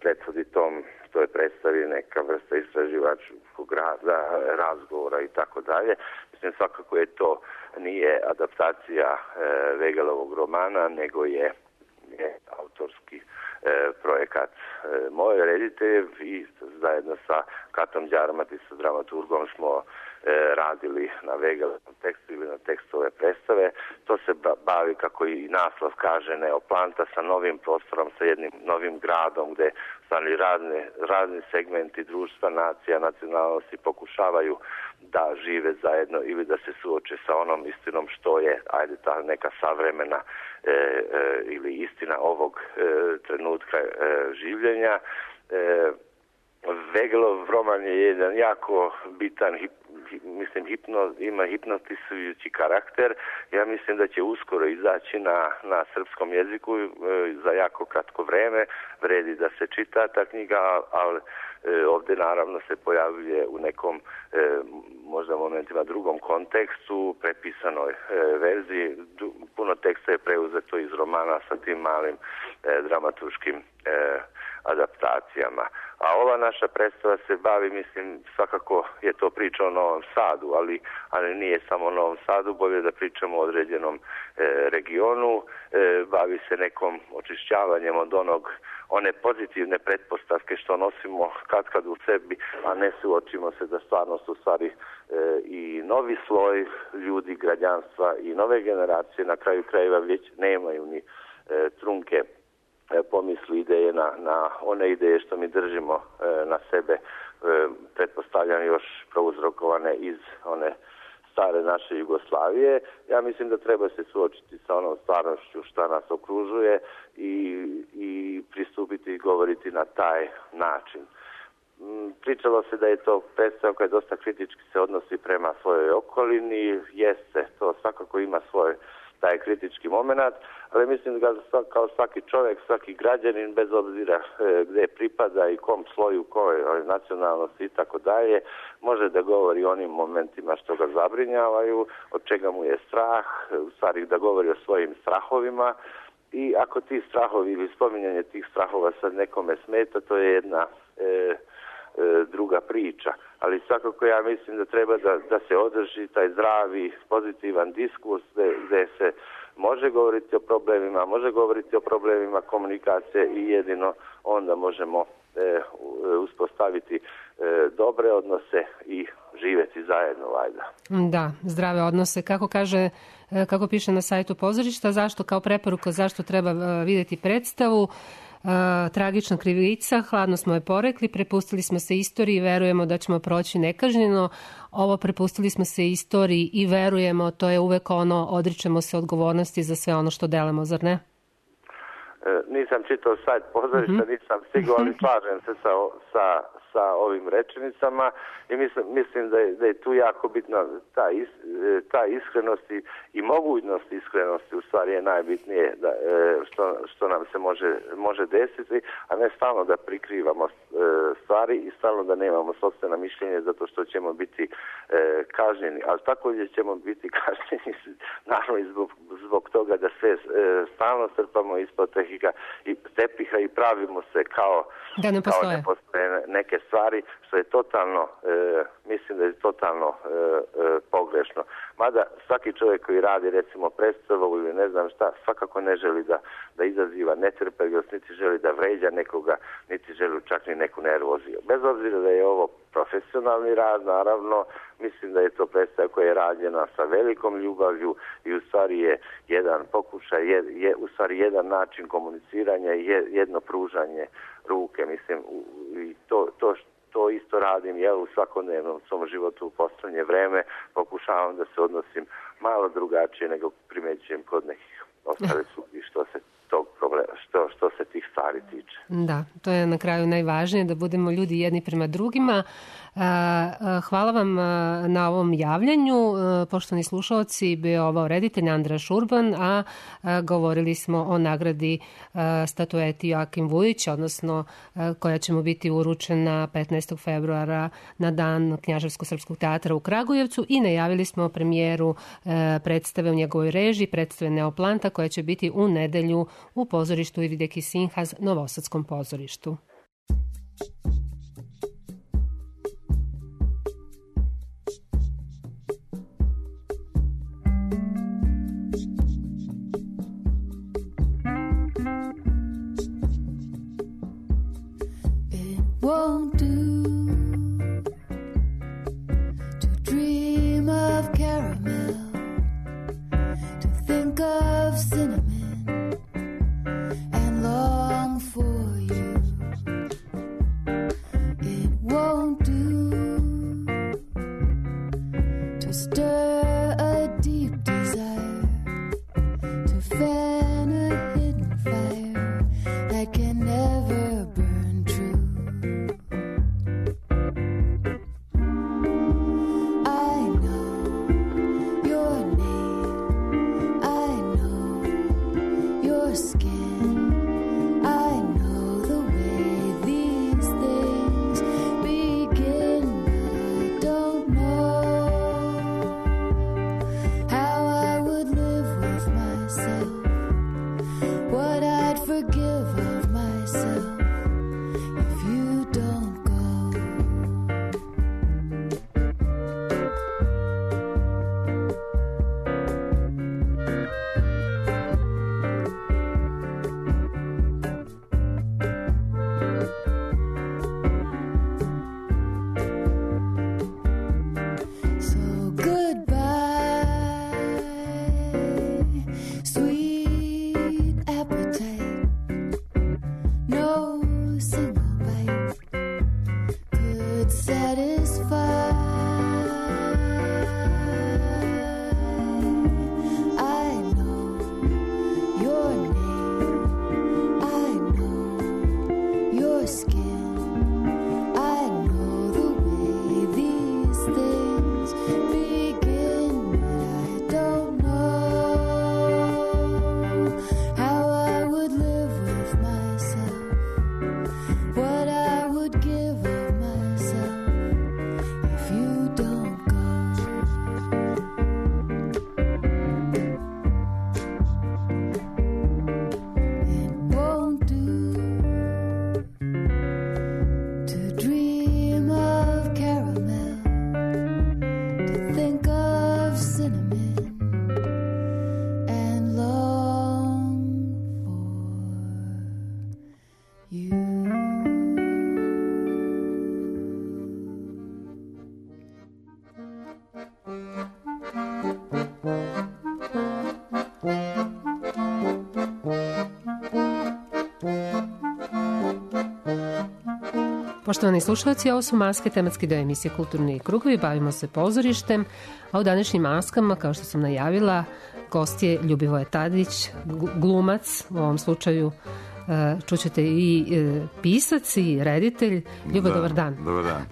prethodi tom, to je predstavi neka vrsta istraživačkog rada, razgovora i tako dalje. Mislim, svakako je to nije adaptacija Vegelovog romana, nego je autorski projekat moj reditelj i zajedno sa Katom Đarmat i sa dramaturgom smo radili na Vegelovom tekstu ili na tekstu ove predstave. To se bavi, kako i naslov kaže, Neoplanta, sa novim prostorom, sa jednim novim gradom gde razni segmenti društva, nacija, nacionalnosti pokušavaju da žive zajedno ili da se suoče sa onom istinom što je, ta neka savremena ili istina ovog trenutka življenja. Vegelov roman je jedan jako bitan, ima hipnotisujući karakter. Ja mislim da će uskoro izaći na srpskom jeziku za jako kratko vreme. Vredi da se čita ta knjiga, ali ovdje naravno se pojavljuje u nekom možda momentima drugom kontekstu, prepisanoj verziji. Puno teksta je preuzeto iz romana sa tim malim dramaturškim adaptacijama. A ova naša predstava se bavi, svakako je to priča o Novom Sadu, ali nije samo o Novom Sadu, bolje da pričamo o određenom regionu, bavi se nekom očišćavanjem od one pozitivne pretpostavke što nosimo kad u sebi, a ne suočimo se da stvarno su stvari i novi sloj ljudi, građanstva i nove generacije na kraju krajeva već nemaju ni trunke pomisli, ideje na one ideje što mi držimo na sebe, pretpostavljam još prouzrokovane iz one stare naše Jugoslavije. Ja mislim da treba se suočiti sa onom stvarnošću što nas okružuje i pristupiti i govoriti na taj način. Pričalo se da je to predstava koja dosta kritički se odnosi prema svojoj okolini, jeste, to svakako ima svoj taj kritički moment, ali mislim da kao svaki čovjek, svaki građanin, bez obzira gdje pripada i kom sloju, kojoj nacionalnosti i tako dalje, može da govori o onim momentima što ga zabrinjavaju, od čega mu je strah, u stvari da govori o svojim strahovima, i ako ti strahovi ili spominjanje tih strahova sad nekome smeta, to je jedna druga priča. Ali svakako ja mislim da treba da se održi taj zdravi, pozitivan diskurs gdje se može govoriti o problemima, može govoriti o problemima komunikacije i jedino onda možemo uspostaviti dobre odnose i živjeti zajedno zajedno, valjda. Da, zdrave odnose. Kako piše na sajtu pozorišta, zašto kao preporuka, zašto treba vidjeti predstavu? Tragična krivica, hladno smo je porekli, prepustili smo se istoriji i verujemo da ćemo proći nekažnjeno. Ovo prepustili smo se istoriji i verujemo, to je uvek ono, odričemo se odgovornosti za sve ono što delamo, zar ne? Nisam čitao sajt pozorišta, nisam stigao, ali slažem se sa ovim rečenicama i mislim da je tu jako bitna ta iskrenost i mogućnost iskrenosti, u stvari je najbitnije što nam se može desiti, a ne stalno da prikrivamo stvari i stalno da nemamo sopstveno mišljenje zato što ćemo biti kažnjeni, ali također ćemo biti kažnjeni naravno i zbog toga da sve stalno strpamo ispod tepiha i pravimo se kao da ne postoje neke stvari, što je totalno, mislim da je totalno pogrešno. Mada svaki čovjek koji radi recimo predstavu ili ne znam šta, svakako ne želi da izaziva netrpeljivost, niti želi da vređa nekoga, niti želi čak ni neku nervoziju. Bez obzira da je ovo profesionalni rad, naravno, mislim da je to predstava koja je rađena sa velikom ljubavlju i u stvari je jedan pokušaj, je u stvari jedan način komuniciranja i jedno pružanje ruke, mislim, i to isto radim u svakodnevnom svom životu u posljednje vreme, pokušavam da se odnosim malo drugačije nego primećujem kod nekih ostalih ljudi što se tog problema, što se tih stvari tiče. Da, to je na kraju najvažnije, da budemo ljudi jedni prema drugima. Hvala vam na ovom javljanju. Poštovani slušalci, bio ovo reditelj Andra Šurban, a govorili smo o nagradi statueti Joakim Vujić, odnosno koja će mu biti uručena 15. februara na dan Knjaževsko-srpskog teatra u Kragujevcu i najavili smo premijeru predstave u njegovoj režiji, predstave Neoplanta, koja će biti u nedelju u pozorištu Ivideki Sinhaz, Novosadskom pozorištu. Won't do to dream of caramel, to think of cinnamon and long for you. It won't do to stir a deep desire, to fan a hidden fire that can never burn true. Poštovani slušalci, ovo su Maske, tematski deo emisije Kulturni krugovi. Bavimo se pozorištem, a u današnjim maskama, kao što sam najavila, gost je Ljubivoje Tadić, glumac, u ovom slučaju čućete i pisac i reditelj. Ljubo, dobar dan. Dobar dan.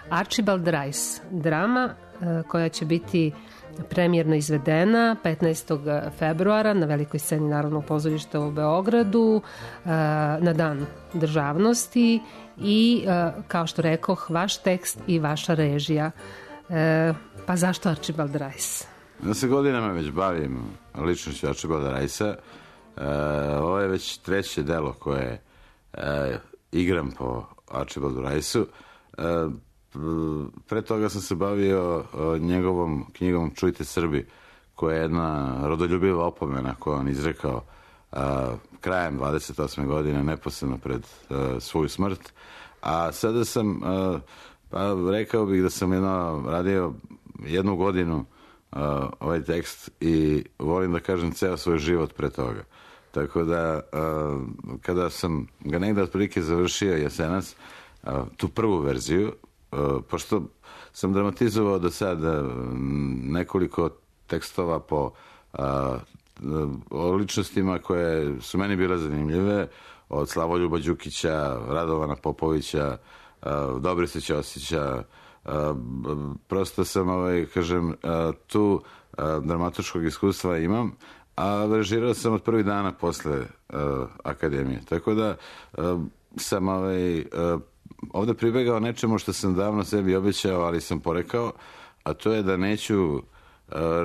Archibald Rice, drama koja će biti premijerno izvedena 15. februara na velikoj sceni Narodnog pozorišta u Beogradu na Dan državnosti i, kao što rekoh, vaš tekst i vaša režija. Pa zašto Archibald Rice? Ja se godinama već bavim ličnošću Archibalda Ricea. Ovo je već treće delo koje igram po Archibaldu Riceu. Pre toga sam se bavio njegovom knjigom Čujte Srbi, koja je jedna rodoljubiva opomena koju on izrekao krajem 28. godine, neposredno pred svoju smrt. A sada sam, rekao bih da sam radio 1 godinu ovaj tekst i volim da kažem ceo svoj život pre toga. Tako da, kada sam ga negde otprilike završio jesenas, tu prvu verziju, pošto sam dramatizovao do sada nekoliko tekstova o ličnostima koje su meni bile zanimljive, od Slavoljuba Đukića, Radovana Popovića, Dobrice Ćosića. Prosto sam, tu dramatuškog iskustva imam, a režirao sam od prvih dana posle akademije. Tako da sam ovde pribegao nečemu što sam davno sebi obećao, ali sam porekao, a to je da neću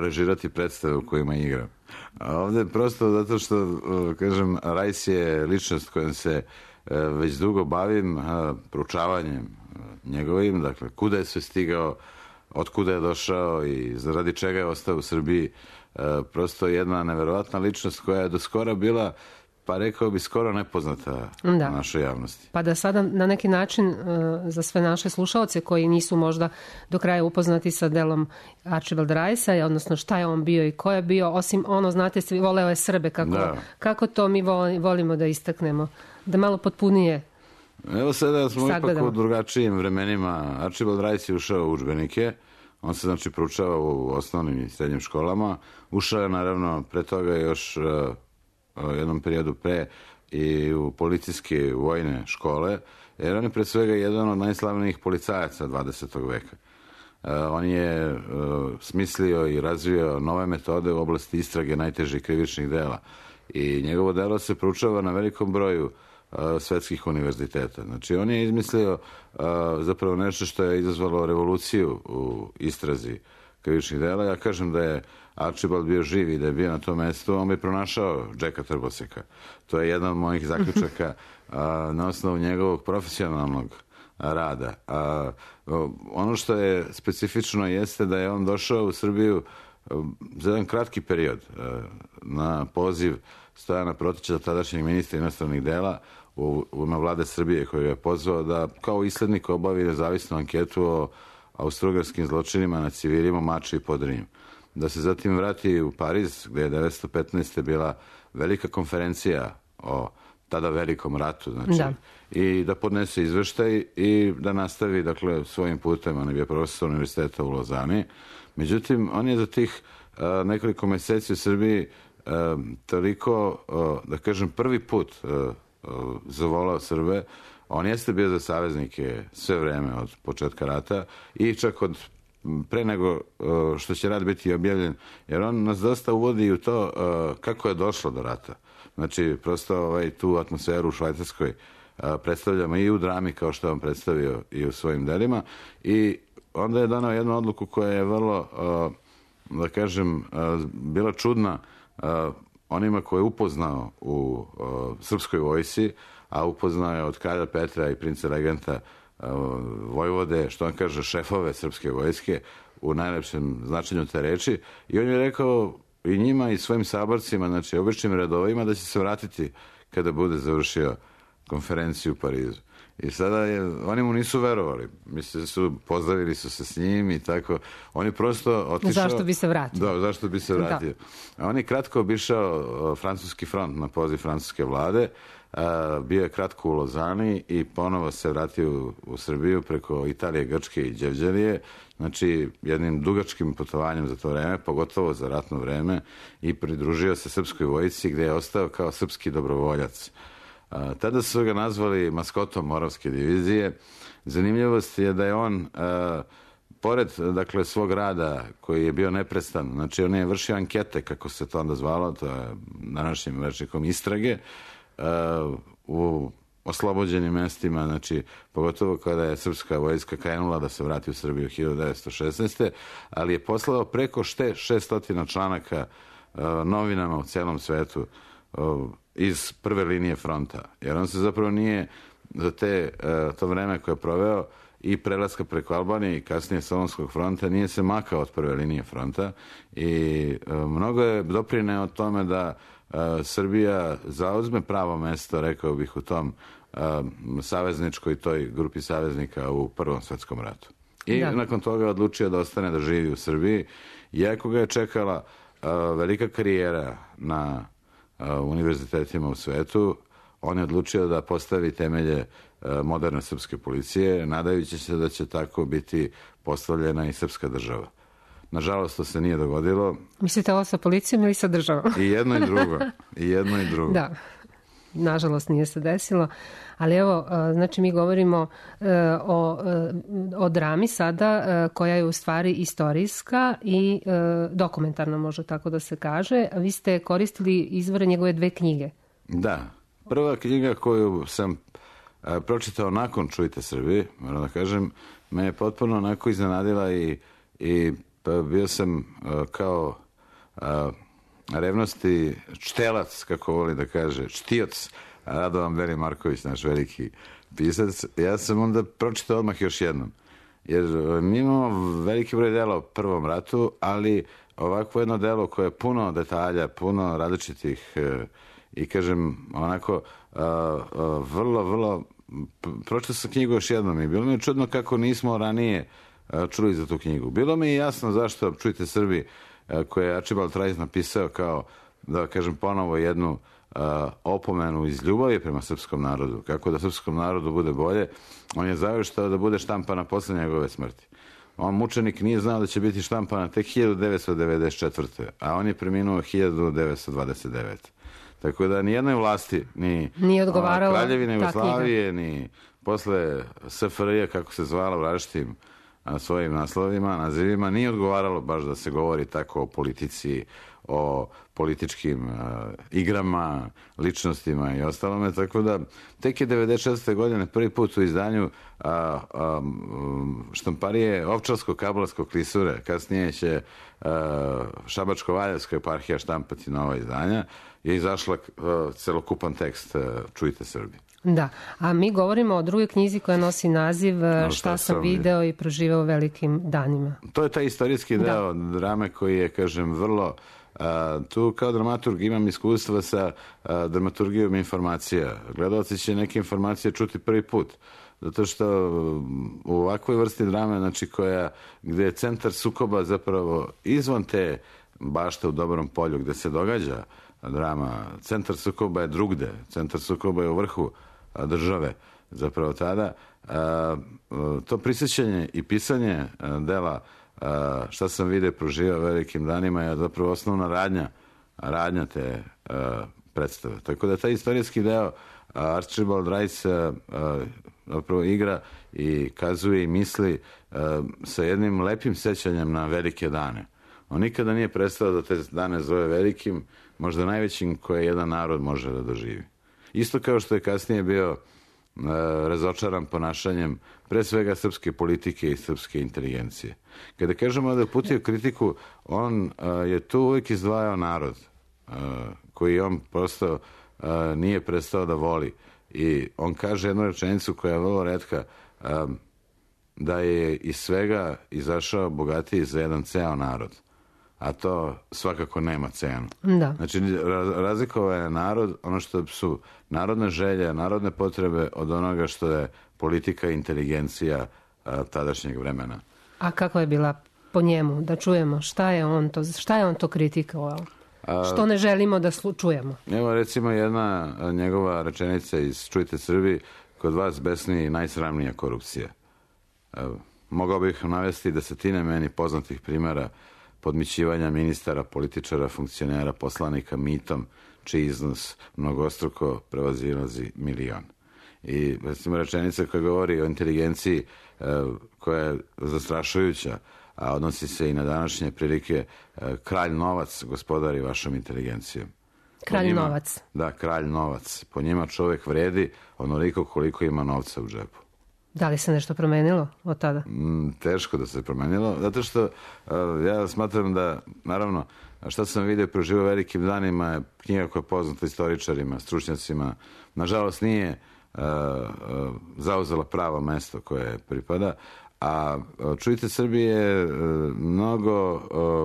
režirati predstave u kojima igram. A ovde prosto zato što, kažem, Rice je ličnost kojom se već dugo bavim, proučavanjem njegovim, dakle, kuda je sve stigao, otkuda je došao i zaradi čega je ostao u Srbiji. Prosto jedna neverovatna ličnost koja je do skora bila, pa rekao bi, skoro nepoznata našoj javnosti. Pa da sada na neki način za sve naše slušaoce koji nisu možda do kraja upoznati sa delom Archibald Ricea, odnosno šta je on bio i ko je bio, osim ono, znate, voleo je Srbe, kako to mi volimo da istaknemo, da malo potpunije. Evo sada smo ipak u drugačijim vremenima. Archibald Rice je ušao u udžbenike, on se znači proučava u osnovnim i srednjim školama, ušao je naravno pre toga još jednom periodu pre i u policijske vojne škole, jer on je pre svega jedan od najslavnijih policajaca 20. veka. On je smislio i razvio nove metode u oblasti istrage najtežih krivičnih dela i njegovo delo se proučava na velikom broju svetskih univerziteta. Znači, on je izmislio zapravo nešto što je izazvalo revoluciju u istrazi krivičnih dela. Ja kažem da je Archibald bio živ i da je bio na tom mestu, on bi pronašao Jacka Trboseka. To je jedan od mojih zaključaka na osnovu njegovog profesionalnog rada. Ono što je specifično jeste da je on došao u Srbiju za jedan kratki period na poziv Stojana Protića, tadašnjeg ministra inostranih dela, u ime vlade Srbije, koji je pozvao da kao islednik obavi nezavisnu anketu o austrougarskim zločinima nad civilima u Mačvi i Podrinju. Da se zatim vrati u Pariz, gde je 1915. bila velika konferencija o tada velikom ratu, znači, i da podnese izveštaj i da nastavi, dakle, svojim putem. On je bio profesor univerziteta u Lozani. Međutim, on je za tih nekoliko meseci u Srbiji toliko, da kažem, prvi put zavolao Srbe. On jeste bio za saveznike sve vreme od početka rata i čak od pre nego što će rat biti objavljen, jer on nas dosta uvodi u to kako je došlo do rata. Znači, prosto tu atmosferu u Švajcarskoj predstavljamo i u drami, kao što je on predstavio i u svojim delima, i onda je donao jednu odluku koja je vrlo, da kažem, bila čudna onima koje je upoznao u srpskoj vojsi, a upoznao je od kralja Petra i princa regenta vojvode, što on kaže, šefove srpske vojske u najlepšem značenju te reči, i on je rekao i njima i svojim saborcima, znači običnim redovima, da će se vratiti kada bude završio konferenciju u Parizu. I sada oni mu nisu verovali. Pozdravili su se s njim i tako. On je prosto otišao... Zašto bi se vratio? Da, zašto bi se vratio. Da. On je kratko obišao francuski front na poziv francuske vlade, bio je kratko u Lozani i ponovo se vratio u Srbiju preko Italije, Grčke i Đevđelije, znači jednim dugačkim putovanjem za to vreme, pogotovo za ratno vreme, i pridružio se srpskoj vojsci gde je ostao kao srpski dobrovoljac. Tada su ga nazvali maskotom Moravske divizije. Zanimljivost je da je on, pored dakle, svog rada koji je bio neprestan, znači on je vršio ankete, kako se to onda zvalo, to je današnjim rečnikom istrage, u oslobođenim mestima, znači pogotovo kada je srpska vojska krenula da se vrati u Srbiju 1916. Ali je poslao preko 600 članaka novinama u celom svetu iz prve linije fronta. Jer on se zapravo nije za to vreme koje je proveo i prelaska preko Albanije i kasnije Solunskog fronta nije se makao od prve linije fronta i mnogo je doprineo o tome da Srbija zauzme pravo mesto, rekao bih, u tom savezničkoj toj grupi saveznika u Prvom svetskom ratu. I nakon toga je odlučio da ostane da živi u Srbiji, iako ga je čekala velika karijera na univerzitetima u svetu. On je odlučio da postavi temelje moderne srpske policije, nadajući se da će tako biti postavljena i srpska država. Nažalost, to se nije dogodilo. Mislite ovo sa policijom ili sa državom? I jedno i drugo. I jedno i drugo. Da, nažalost nije se desilo. Ali evo, znači mi govorimo o drami sada, koja je u stvari istorijska i dokumentarna, može tako da se kaže. Vi ste koristili izvore njegove 2 knjige. Da. Prva knjiga koju sam pročitao nakon Čujte Srbi, moram da kažem, me je potpuno onako iznenadila i bio sam kao revnosti čtelac, kako voli da kaže, čtioc, Radovan Beli Marković, naš veliki pisac. Ja sam onda pročitao odmah još jednom. Jer mi imamo veliki broj dela u Prvom ratu, ali ovakvo jedno delo koje je puno detalja, puno različitih i kažem onako vrlo pročitao sam knjigu još jednom i bilo mi je čudno kako nismo ranije čuli za tu knjigu. Bilo mi je jasno zašto Čujte Srbi, koje je Archibald Rice napisao kao, da kažem ponovo, jednu opomenu iz ljubavi prema srpskom narodu, kako da srpskom narodu bude bolje. On je završtao da bude štampana posle njegove smrti. On, mučenik, nije znao da će biti štampana tek 1994. A on je preminuo 1929. Tako da nijednoj vlasti, ni Kraljevine Jugoslavije, ni posle SFRJ, kako se zvala, različitim svojim nazivima, nije odgovaralo baš da se govori tako o politici, o političkim igrama, ličnostima i ostalome, tako da tek je 1996. godine prvi put u izdanju štamparije Ovčarsko-Kablarskog klisure, kasnije će Šabačko-Valjevska eparhija štampati nova izdanja, je izašla celokupan tekst Čujte Srbi. Da, a mi govorimo o drugoj knjizi koja nosi naziv Šta sam video i proživeo u velikim danima. To je taj istorijski deo drame koji je, kažem, vrlo... Tu kao dramaturg imam iskustva sa dramaturgijom informacija. Gledalci će neke informacije čuti prvi put. Zato što u ovakvoj vrsti drame, znači gde je centar sukoba zapravo izvan te bašte u Dobrom polju gde se događa drama, centar sukoba je drugde, centar sukoba je u vrhu države zapravo tada. To prisjećanje i pisanje dela Šta sam video proživao velikim danima je zapravo osnovna radnja te predstave. Tako da taj istorijski deo Archibald Rice zapravo igra i kazuje i misli sa jednim lepim sećanjem na velike dane. On nikada nije prestao da te dane zove velikim, možda najvećim koje jedan narod može da doživi. Isto kao što je kasnije bio razočaran ponašanjem pre svega srpske politike i srpske inteligencije. Kada kažemo da je uputio kritiku, on je tu uvijek izdvajao narod koji on prosto nije prestao da voli. I on kaže jednu rečenicu koja je vrlo retka, da je iz svega izašao bogatiji za jedan ceo narod. A to svakako nema cenu. Da. Znači, razlikovao je narod, ono što su narodne želje, narodne potrebe od onoga što je politika i inteligencija tadašnjeg vremena. A kako je bila po njemu? Da čujemo šta je on to kritikovao? Što ne želimo da čujemo? Evo recimo jedna njegova rečenica iz Čujte Srbi, kod vas besni najsramnija korupcija. Mogao bih navesti desetine meni poznatih primjera podmićivanja ministara, političara, funkcionera, poslanika mitom, čiji iznos mnogostruko prevazilazi milion. I recimo rečenica koja govori o inteligenciji koja je zastrašujuća, a odnosi se i na današnje prilike, kralj novac gospodari vašom inteligencijom. Kralj novac. Da, kralj novac. Po njima čovjek vredi onoliko koliko ima novca u džepu. Da li se nešto promenilo od tada? Teško da se promenilo, zato što ja smatram da, naravno, šta sam vidio proživao velikim danima je knjiga koja je poznata istoričarima, stručnjacima. Nažalost nije zauzela pravo mesto koje pripada, a Čujte Srbije je mnogo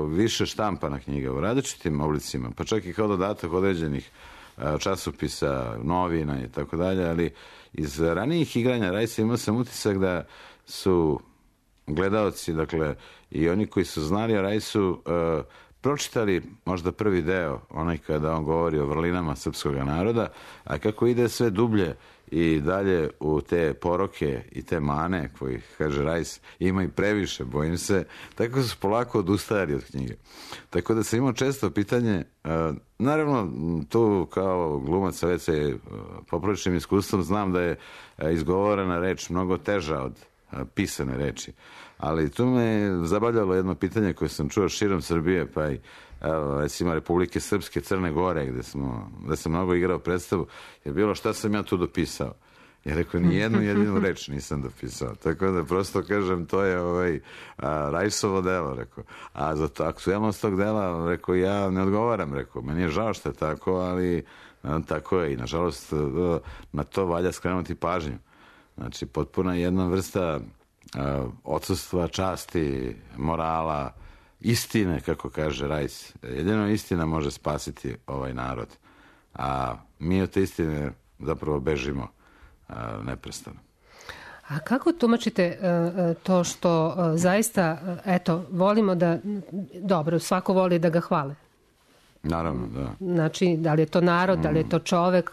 više štampana knjiga u različitim oblicima, pa čak i kao dodatak određenih časopisa, novina i tako dalje, ali iz ranijih igranja Rajsa imao sam utisak da su gledaoci, dakle, i oni koji su znali o Rajsu, pročitali možda prvi deo, onaj kada on govori o vrlinama srpskog naroda, a kako ide sve dublje i dalje u te poroke i te mane, koji, kaže Rajs, ima i previše, bojim se, tako su polako odustajali od knjige. Tako da sam imao često pitanje, naravno, tu kao glumac sa već popriličnim iskustvom znam da je izgovorena reč mnogo teža od pisane reči. Ali tu me zabavljalo jedno pitanje koje sam čuo širom Srbije, pa i recimo Republike Srpske, Crne Gore, gde sam mnogo igrao predstavu, je bilo šta sam ja tu dopisao. Ja rekao, ni jednu jedinu reč nisam dopisao. Tako da prosto kažem, to je Rajsovo delo, rekao. A za to aktuelnost tog dela, rekao, ja ne odgovaram, rekao. Meni je žao što je tako, ali tako je. I nažalost, na to valja skrenuti pažnju. Znači, potpuna jedna vrsta odsustva časti, morala, istine, kako kaže Rajs. Jedino istina može spasiti ovaj narod. A mi od te istine zapravo bežimo neprestano. A kako tumačite to što zaista, eto, volimo da, dobro, svako voli da ga hvale. Naravno, da. Znači, da li je to narod, da li je to čovek,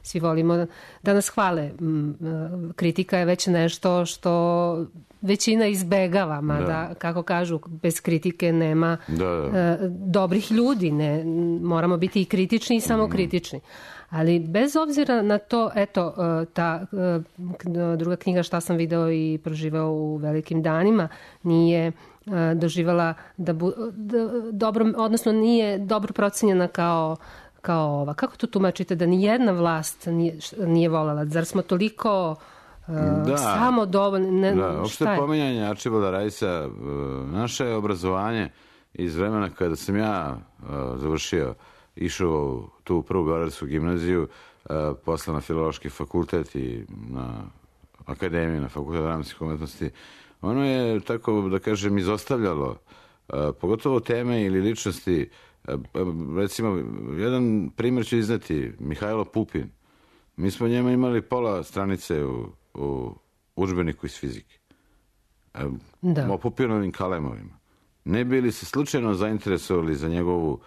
svi volimo da nas hvale. Kritika je već nešto što većina izbegava, da, kako kažu, bez kritike nema dobrih ljudi. Moramo biti i kritični i samokritični. Ali bez obzira na to, eto, ta druga knjiga Šta sam video i proživao u velikim danima nije doživala dobro, odnosno nije dobro procenjena kao ova. Kako to tumačite da ni jedna vlast nije voljela? Zar smo toliko samo dovoljni? Da, opšte pominjanje Arčibalda Rajsa, naše obrazovanje iz vremena kada sam ja završio, išao tu u prvu Beogradsku gimnaziju, posle na Filološki fakultet i na akademiju, na Fakultet dramskih umetnosti, ono je, tako da kažem, izostavljalo pogotovo teme ili ličnosti. Recimo, jedan primjer ću izneti, Mihajlo Pupin. Mi smo njema imali pola stranice u udžbeniku iz fizike. O Pupinovim kalemovima. Ne bili se slučajno zainteresovali za njegovu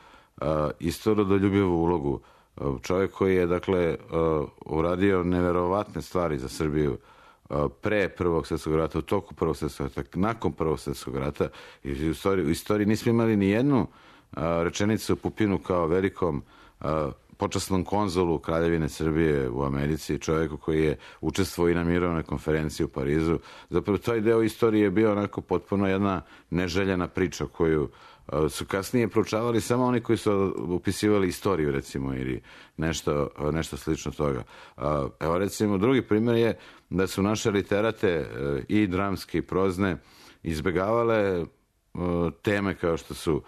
istorodoljubivu ulogu. Čovjek koji je, dakle, uradio neverovatne stvari za Srbiju pre Prvog svjetskog rata, u toku Prvog svjetskog rata, nakon Prvog svjetskog rata. I u istoriji nismo imali ni jednu rečenicu o Pupinu kao velikom počasnom konzulu Kraljevine Srbije u Americi, čovjeku koji je učestvovao i na mirovnoj konferenciji u Parizu. Zapravo, taj deo istorije je bio onako potpuno jedna neželjena priča koju su kasnije proučavali samo oni koji su upisivali istoriju, recimo, ili nešto slično toga. Evo, recimo, drugi primjer je da su naše literate i dramske i prozne izbegavale teme kao što su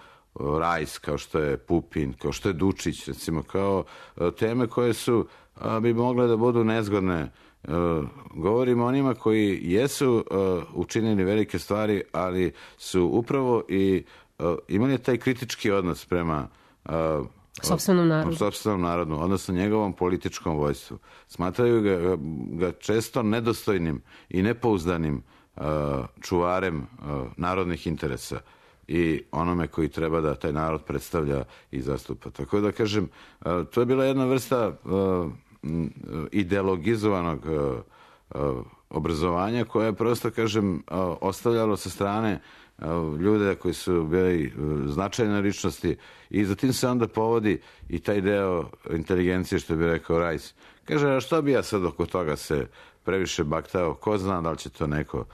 Rajs, kao što je Pupin, kao što je Dučić, recimo, kao teme koje su bi mogle da budu nezgodne. Govorimo o onima koji jesu učinili velike stvari, ali su upravo i imali taj kritički odnos prema Sopstvenom narodu, odnosno njegovom političkom vojstvu. Smatraju ga često nedostojnim i nepouzdanim čuvarem narodnih interesa i onome koji treba da taj narod predstavlja i zastupa. Tako da kažem, to je bila jedna vrsta ideologizovanog obrazovanja koje je prosto, kažem, ostavljalo sa strane ljude koji su bili značajne ličnosti i za tim se onda povodi i taj deo inteligencije, što bi rekao Rajs. Kaže, a što bi ja sad oko toga se previše baktao, ko zna da li će to neko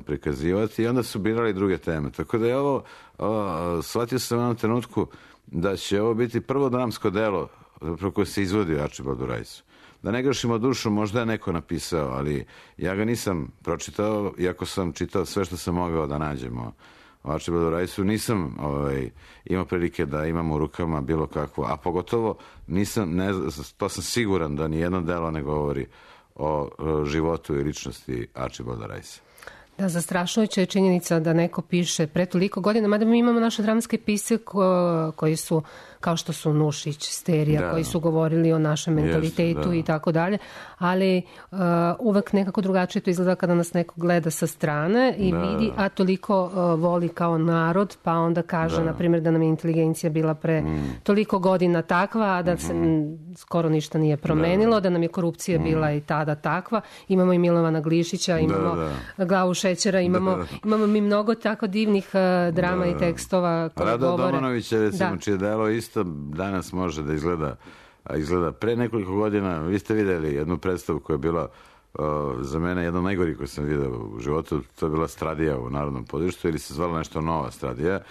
prikazivati, i onda su birali druge teme. Tako da je ovo, shvatio sam u jednom trenutku da će ovo biti prvo dramsko delo koje se izvodi u Arčibaldu Rajsu. Da ne grešimo dušu, možda je neko napisao, ali ja ga nisam pročitao, iako sam čitao sve što sam mogao da nađem o Arčibaldu Rajsu, nisam imao prilike da imam u rukama bilo kakvo, a pogotovo to sam siguran da nijedno delo ne govori o životu i ličnosti Arčibalda Rajsa. Da, zastrašujuća je činjenica da neko piše pre toliko godina, mada mi imamo naše dramske pisce koji su, kao što su Nušić, Sterija, koji su govorili o našem mentalitetu i tako dalje, ali uvek nekako drugačije to izgleda kada nas neko gleda sa strane i vidi, a toliko voli kao narod, pa onda kaže, na primjer, da nam je inteligencija bila pre toliko godina takva, a da se skoro ništa nije promenilo, da nam je korupcija bila i tada takva. Imamo i Milovana Glišića, imamo Glavu šećera, imamo mi mnogo tako divnih drama i tekstova koji govore. Rado Domanovića, recimo, čije delo isto danas može da izgleda. Pre nekoliko godina, vi ste videli jednu predstavu koja je bila za mene jedna najgori koju sam vidio u životu, to je bila Stradija u Narodnom pozorištu, ili se zvala nešto Nova Stradija.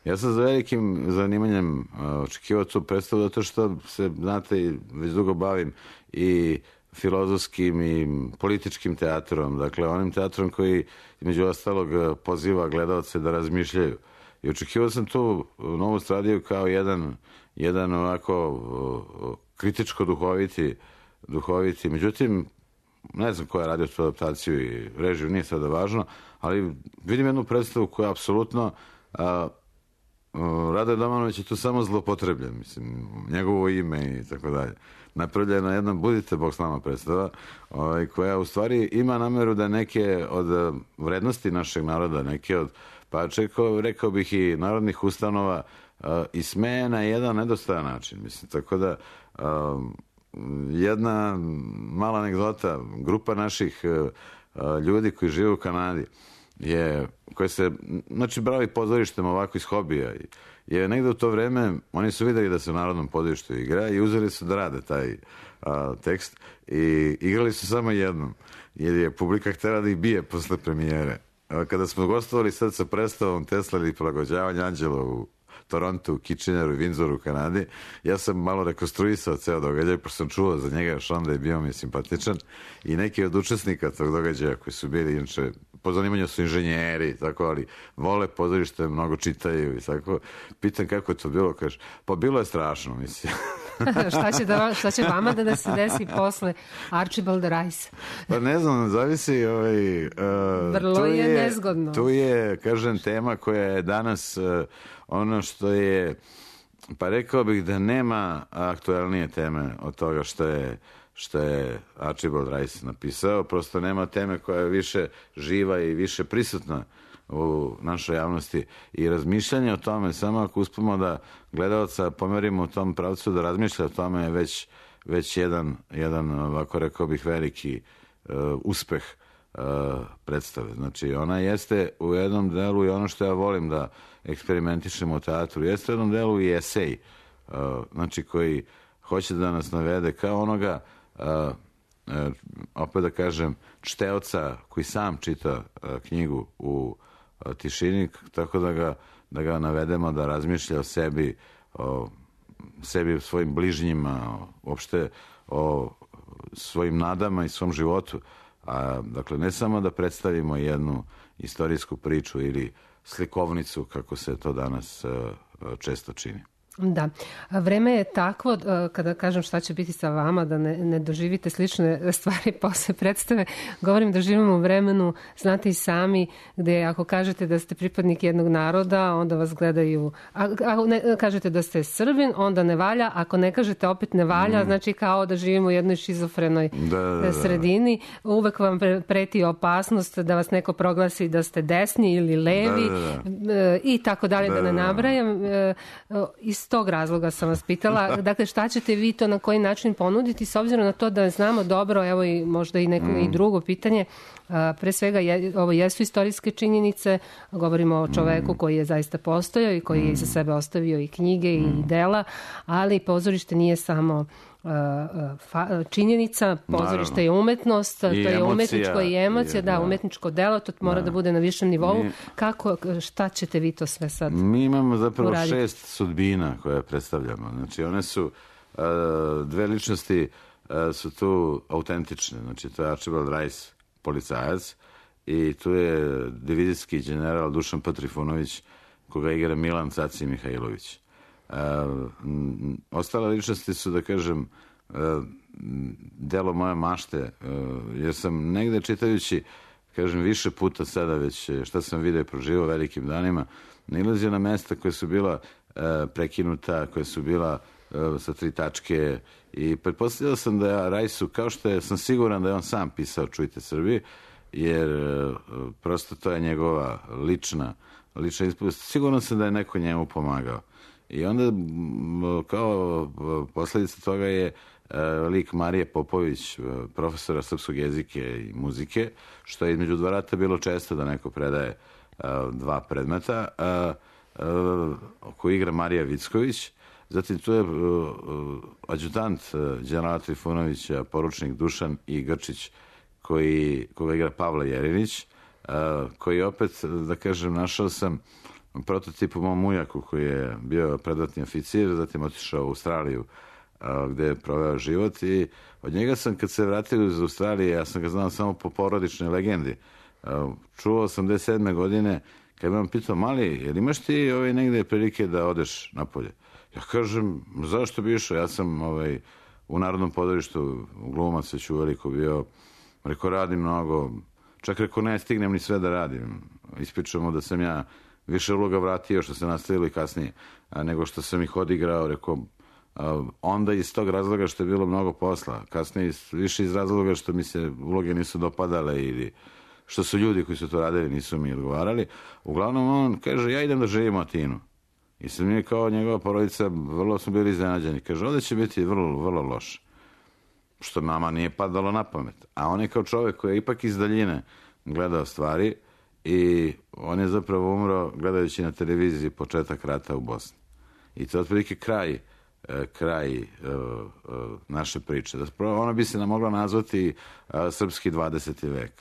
Ja sam za velikim zanimanjem očekivao tu predstavu, zato što se, znate, već dugo bavim i filozofskim i političkim teatrom, dakle onim teatrom koji između ostalog poziva gledalce da razmišljaju. I očekivao sam tu Novu Stradiju kao jedan ovako kritičko duhoviti, međutim, ne znam ko je radio tu adaptaciju i režiju, nije sada važno, ali vidim jednu predstavu koja je apsolutno Radoje Domanović je tu samo zlopotrebljen, mislim, njegovo ime i tako dalje. Napravljena jedna Budite Bog s nama predstava, koja u stvari ima nameru da neke od vrednosti našeg naroda, neke od, pa rekao bih i narodnih ustanova, ismeje na jedan nedostojan način. Mislim, tako da jedna mala anegdota, grupa naših ljudi koji žive u Kanadi koji se, znači, bavi pozorištem ovako iz hobija, je negde u to vreme, oni su videli da se u Narodnom pozorištu igra i uzeli su da rade taj tekst i igrali su samo jednom, jer je publika htjela da ih bije posle premijere. Kada smo gostovali sad sa predstavom Tesla ili prilagođavanje Anđela u Torontu, Kitcheneru i Windsoru u Kanadi, ja sam malo rekonstruisao ceo događaj, pošto sam čuo za njega još onda je bio mi simpatičan, i neki od učesnika tog događaja koji su bili, inače, po zanimanju su inženjeri, tako, ali vole pozorište, mnogo čitaju i tako. Pitam kako je to bilo, kaže, pa bilo je strašno, mislim. Šta će vama da se desi posle Arčibalda Rajsa? Pa ne znam, zavisi. Vrlo je nezgodno. Tu je, kažem, tema koja je danas ono što je, pa rekao bih da nema aktualnije teme od toga što je Archibald Rice napisao, prosto nema teme koja je više živa i više prisutna u našoj javnosti i razmišljanje o tome, samo ako uspemo da gledalca pomerimo u tom pravcu da razmišlja o tome, je već jedan ovako rekao bih veliki uspeh predstave. Znači ona jeste u jednom delu i ono što ja volim da eksperimentišemo u teatru, jeste u jednom delu i esej, znači koji hoće da nas navede kao onoga, opet da kažem, čteoca koji sam čita knjigu u tišini, tako da ga navedemo da razmišlja o sebi, o svojim bližnjima, uopšte o svojim nadama i svom životu. Dakle, ne samo da predstavimo jednu istorijsku priču ili slikovnicu, kako se to danas često čini. Da, vreme je takvo, kada kažem šta će biti sa vama, da ne doživite slične stvari posle predstave, govorim da živimo u vremenu, znate i sami, gde ako kažete da ste pripadnik jednog naroda, onda vas gledaju, ako ne kažete da ste Srbin, onda ne valja, ako ne kažete opet ne valja, znači kao da živimo u jednoj šizofrenoj sredini, uvek vam preti opasnost da vas neko proglasi da ste desni ili levi i tako dalje, da ne nabrajam. Iz tog razloga sam vas pitala, dakle šta ćete vi to na koji način ponuditi, s obzirom na to da znamo dobro, evo i možda i neko i drugo pitanje, pre svega ovo jesu istorijske činjenice, govorimo o čoveku koji je zaista postojao i koji je iza sebe ostavio i knjige i dela, ali pozorište nije samo činjenica, pozorište je umetnost, to je umetničko i emocija, umetničko delo, to mora da bude na višem nivou. Šta ćete vi to sve sad uraditi? Mi imamo zapravo 6 sudbina koje predstavljamo. Znači, one su, dve ličnosti su tu autentične. Znači, to je Archibald Rice, policajac, i tu je divizijski general Dušan P. Trifunović, koga igra Milan Caci Mihajlović. Ostale ličnosti su, da kažem, delo moje mašte, jer sam negde čitajući, kažem, više puta sada već šta sam vidio i proživao velikim danima, nalazio na mesta koja su bila prekinuta, koja su bila sa 3 tačke, i pretpostavljao sam da ja Rajsu, kao što sam siguran da je on sam pisao Čujte Srbiji, jer prosto to je njegova lična ispovest. Siguran sam da je neko njemu pomagao. I onda, kao posledica toga je lik Marije Popović, profesora srpskog jezika i muzike, što je između 2 rata bilo često da neko predaje 2 predmeta, koju igra Marija Vicković. Zatim tu je adjutant generala Trifunovića, poručnik Dušan I. Grčić, koga igra Pavle Jerinić, koji opet, da kažem, našao sam prototip u mom ujaku koji je bio predratni oficir, zatim otišao u Australiju gde je proveo život, i od njega sam, kad se vratio iz Australije, ja sam ga znao samo po porodičnoj legendi. Čuo 87. godine, kad me on pitao, mali, jel imaš ti negde prilike da odeš napolje? Ja kažem, zašto bi išao? Ja sam u Narodnom pozorištu glumac već uveliko bio, rekao, radim mnogo, čak rekao, ne stignem ni sve da radim. Ispričamo da sam ja više uloga vratio, što se nastavilo i kasnije, nego što sam ih odigrao, rekao, onda iz tog razloga što je bilo mnogo posla, kasnije više iz razloga što mi se uloge nisu dopadale ili što su ljudi koji su to radili nisu mi odgovarali. Uglavnom on kaže, ja idem da živim u Atinu. I sad mi kao njegova porodica vrlo smo bili iznenađeni. Kaže, ovdje će biti vrlo, vrlo loše. Što nama nije padalo na pamet. A on je kao čovjek koji je ipak iz daljine gledao stvari i on je zapravo umro gledajući na televiziji početak rata u Bosni. I to je otprilike kraj naše priče. Ona bi se nam mogla nazvati srpski 20. vek.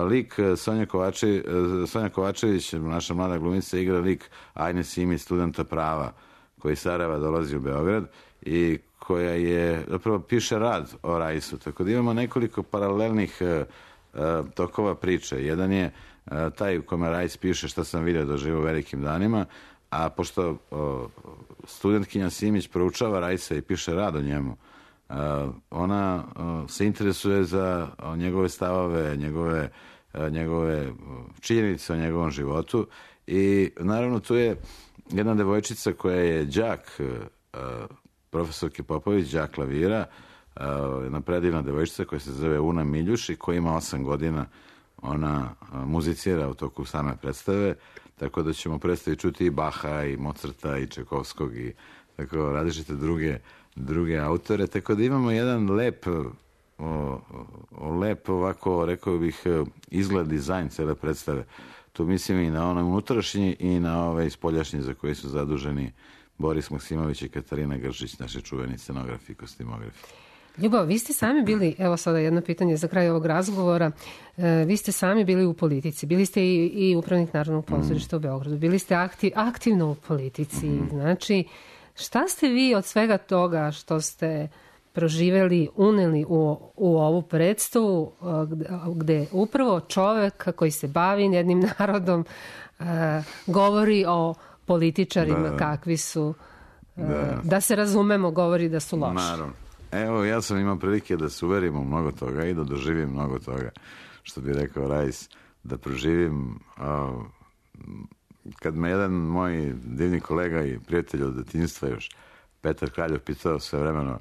Lik Sonja Kovačević, naša mlada glumica, igra lik Ajne Simić, studenta prava, koji iz Sarajeva dolazi u Beograd i koja je, zapravo piše rad o Rajsu. Tako da imamo nekoliko paralelnih tokova priče. Jedan je taj u kome Rajs piše šta sam vidio da živo u velikim danima, a pošto studentkinja Simić proučava Rajsa i piše rad o njemu, ona se interesuje za njegove stavove, njegove činjenice o njegovom životu, i naravno tu je jedna devojčica koja je đak profesorke Popović, đak klavira, jedna predivna devojčica koja se zove Una Miljuš i koja ima 8 godina. Ona muzicira u toku same predstave, tako da ćemo predstavi čuti i Baha i Mozarta i Čajkovskog i tako različite druge autore, tako da imamo jedan lep ovako, rekao bih, izgled, dizajn cele predstave. Tu mislim i na onaj unutrašnji i na ove spoljašnji za koji su zaduženi Boris Maksimović i Katarina Gržić, naši čuveni scenografi i kostimografi. Ljubav, vi ste sami bili, evo sada jedno pitanje za kraj ovog razgovora, vi ste sami bili u politici, bili ste i upravnik Narodnog pozorišta u Beogradu, bili ste aktivno u politici, znači šta ste vi od svega toga što ste proživeli, uneli u ovu predstavu gde upravo čovek koji se bavi jednim narodom govori o političarima kakvi su da se razumemo, govori da su loši. Naravno. Evo, ja sam imao prilike da se uverim u mnogo toga i da doživim mnogo toga, što bi rekao Rajs, da proživim. Kad me jedan moj divni kolega i prijatelj od detinjstva još, Petar Kraljov, pitao sve vremeno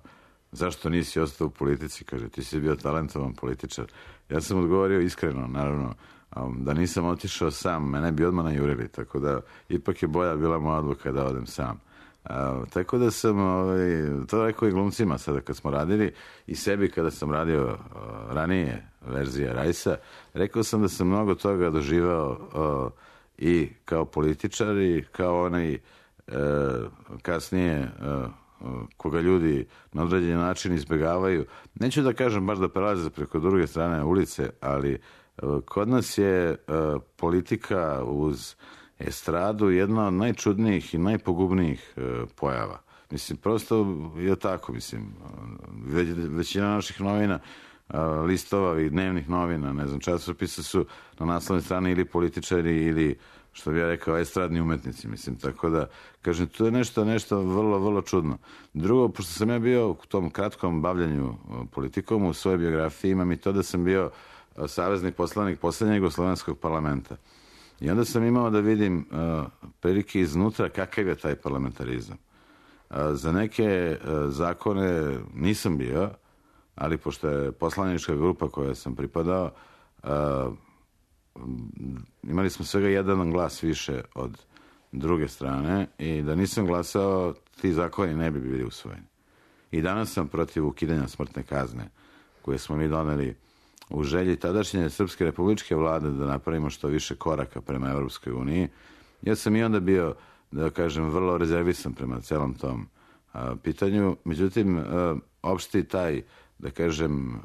zašto nisi ostao u politici, kaže, ti si bio talentovan političar. Ja sam odgovorio iskreno, naravno, da nisam otišao sam, mene bi odmah najurili, tako da ipak je bolja bila moja odluka da odem sam. Tako da sam to rekao i glumcima sada kad smo radili i sebi kada sam radio ranije verzije Rajsa, rekao sam da sam mnogo toga doživao i kao političar i kao onaj kasnije koga ljudi na određeni način izbjegavaju. Neću da kažem baš da prelaze preko druge strane ulice, ali kod nas je politika uz estradu jedna od najčudnijih i najpogubnijih pojava. Mislim, prosto je tako, mislim. Većina naših novina, listova i dnevnih novina, ne znam, časopisa su na naslovnoj strani ili političari ili, što bih ja rekao, estradni umetnici, mislim. Tako da, kažem, to je nešto vrlo, vrlo čudno. Drugo, pošto sam ja bio u tom kratkom bavljanju politikom, u svojoj biografiji imam i to da sam bio savezni poslanik poslednjeg Jugoslovenskog parlamenta. I onda sam imao da vidim prilike iznutra kakav je taj parlamentarizam. Za neke zakone nisam bio, ali pošto je poslanička grupa koja sam pripadao, imali smo svega jedan glas više od druge strane i da nisam glasao, ti zakoni ne bi bili usvojeni. I danas sam protiv ukidanja smrtne kazne koje smo mi doneli u želji tadašnje Srpske republičke vlade da napravimo što više koraka prema Evropskoj uniji. Ja sam i onda bio, da kažem, vrlo rezervisan prema celom tom pitanju. Međutim, opšti taj, da kažem,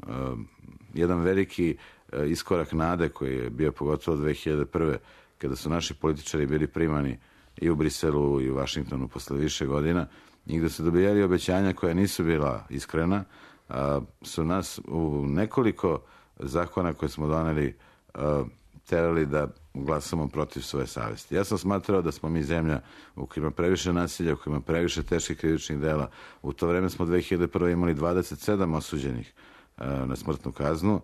jedan veliki iskorak nade koji je bio pogotovo 2001. kada su naši političari bili primani i u Briselu i u Vašingtonu posle više godina i gde su dobijali obećanja koja nisu bila iskrena, su nas u nekoliko zakona koje smo doneli terali da glasamo protiv svoje savesti. Ja sam smatrao da smo mi zemlja u kojoj ima previše nasilja, u kojoj ima previše teških krivičnih dela. U to vreme smo 2001. imali 27 osuđenih na smrtnu kaznu,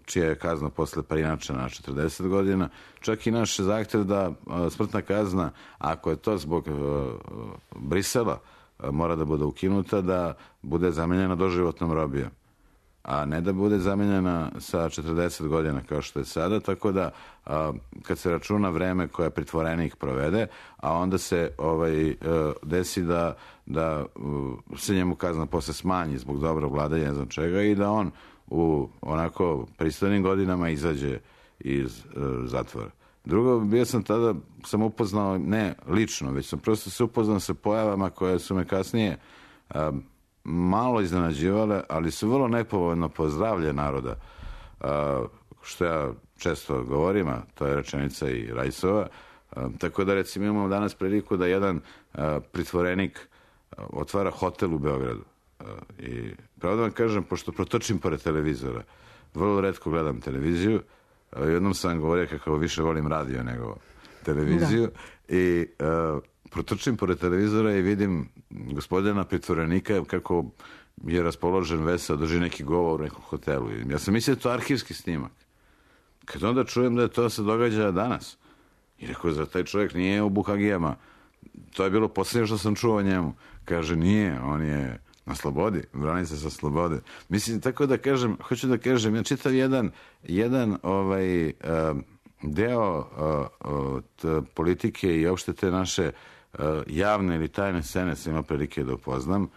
čija je kazna posle preinačena na 40 godina. Čak i naš zahtev da smrtna kazna, ako je to zbog Brisela, mora da bude ukinuta, da bude zamenjena doživotnom robijom, a ne da bude zamenjena sa 40 godina kao što je sada, tako da kad se računa vreme koje pritvorenik provede, a onda se desi da se njemu kazna posle smanji zbog dobrog vladanja, ne znam čega, i da on u onako pristojnim godinama izađe iz zatvora. Drugo, bio sam tada, sam upoznao, ne lično, već sam prosto se upoznao sa pojavama koje su me kasnije malo iznenađivale, ali su vrlo nepovoljno po zdravlje naroda, što ja često govorim, a to je rečenica i Rajsova. Tako da, recimo, imamo danas priliku da jedan pritvorenik otvara hotel u Beogradu. I pravo da vam kažem, pošto protočim pored televizora, vrlo retko gledam televiziju, jednom sam govorio kako više volim radio nego televiziju, i protrčim pored televizora i vidim gospodina pritvorenika kako je raspoložen, veseo, drži neki govor u nekom hotelu. Ja sam mislio da je to arhivski snimak. Kad onda čujem da je to se događa danas, i rekao, za taj čovjek nije u Buhagijama. To je bilo posljednje što sam čuo o njemu. Kaže, nije, on je na slobodi, brani se sa slobode. Mislim, tako da kažem, hoću da kažem, ja čitav jedan deo politike i opšte te naše javne ili tajne scene sam imao prilike da upoznam.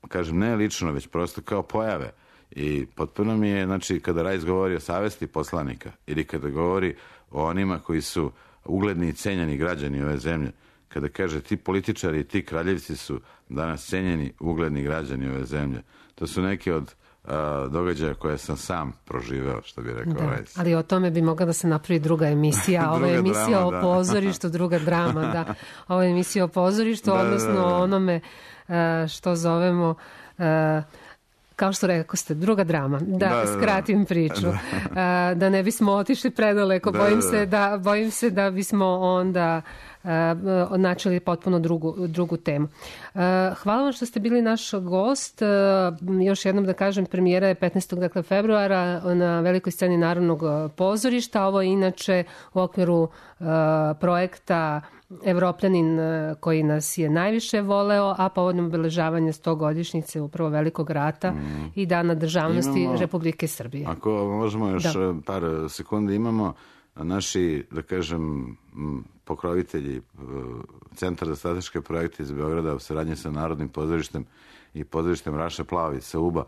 Kažem, ne lično, već prosto kao pojave. I potpuno mi je, znači, kada Rajs govori o savesti poslanika ili kada govori o onima koji su ugledni i cenjeni građani ove zemlje, kada kaže ti političari i ti kraljevci su danas cenjeni ugledni građani ove zemlje, to su neke od događaja koje sam sam proživeo, što bi rekao Rajs. Ali o tome bi mogla da se napravi druga emisija. Ovo je emisija o pozorištu, druga drama, da. Ovo je emisija o pozorištu, odnosno onome što zovemo, kao što rekao ste, druga drama. Da skratim priču. Da ne bismo otišli predaleko. Bojim se da bismo onda načeli potpuno drugu temu. Hvala vam što ste bili naš gost. Još jednom da kažem, premijera je 15. februara na velikoj sceni Narodnog pozorišta. Ovo je inače u okviru projekta Evropljanin koji nas je najviše voleo, a povodom obeležavanja 100-godišnjice upravo Velikog rata i Dana državnosti Republike Srbije. Ako možemo još par sekundi, imamo naši, da kažem, pokrovitelji, Centar za strateške projekte iz Beograda u saradnji sa Narodnim pozorištem i pozorištem Raša Plavi sa Uba.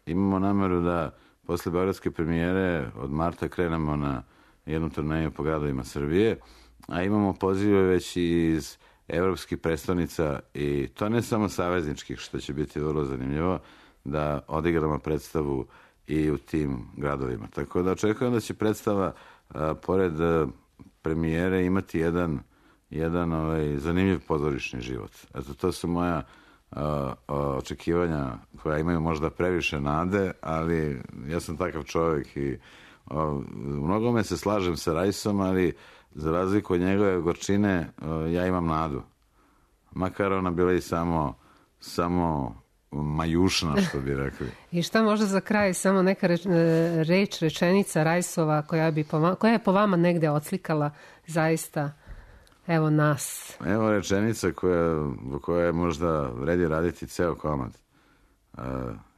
Imamo nameru da posle beogradske premijere od marta krenemo na jednu turneju po gradovima Srbije, a imamo pozive već iz evropskih predstavnica i to ne samo savezničkih, što će biti vrlo zanimljivo, da odigramo predstavu i u tim gradovima. Tako da očekujem da će predstava pored premijere imati jedan zanimljiv pozorišni život. Eto, to su moja očekivanja koja imaju možda previše nade, ali ja sam takav čovjek i u mnogome se slažem sa Rajsom, ali za razliku od njegove gorčine ja imam nadu. Makar ona bila i samo majušna, što bi rekli. I šta možda za kraj, samo neka rečenica Rajsova koja je po vama negde odslikala zaista evo nas. Evo rečenica koja je možda vredi raditi ceo komad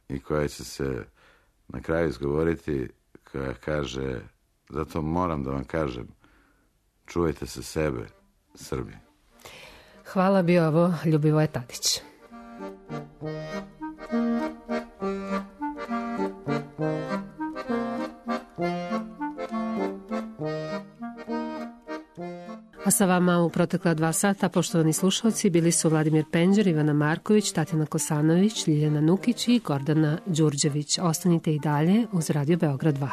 i koja će se na kraju izgovoriti, koja kaže: zato moram da vam kažem, čuvajte se sebe, Srbi. Hvala, bio ovo Ljubivoje Tadić. A sa vama u protekla 2 sata, poštovani slušalci, bili su Vladimir Penđer, Ivana Marković, Tatjana Kosanović, Ljiljana Nukić i Gordana Đurđević. Ostanite i dalje uz Radio Beograd 2.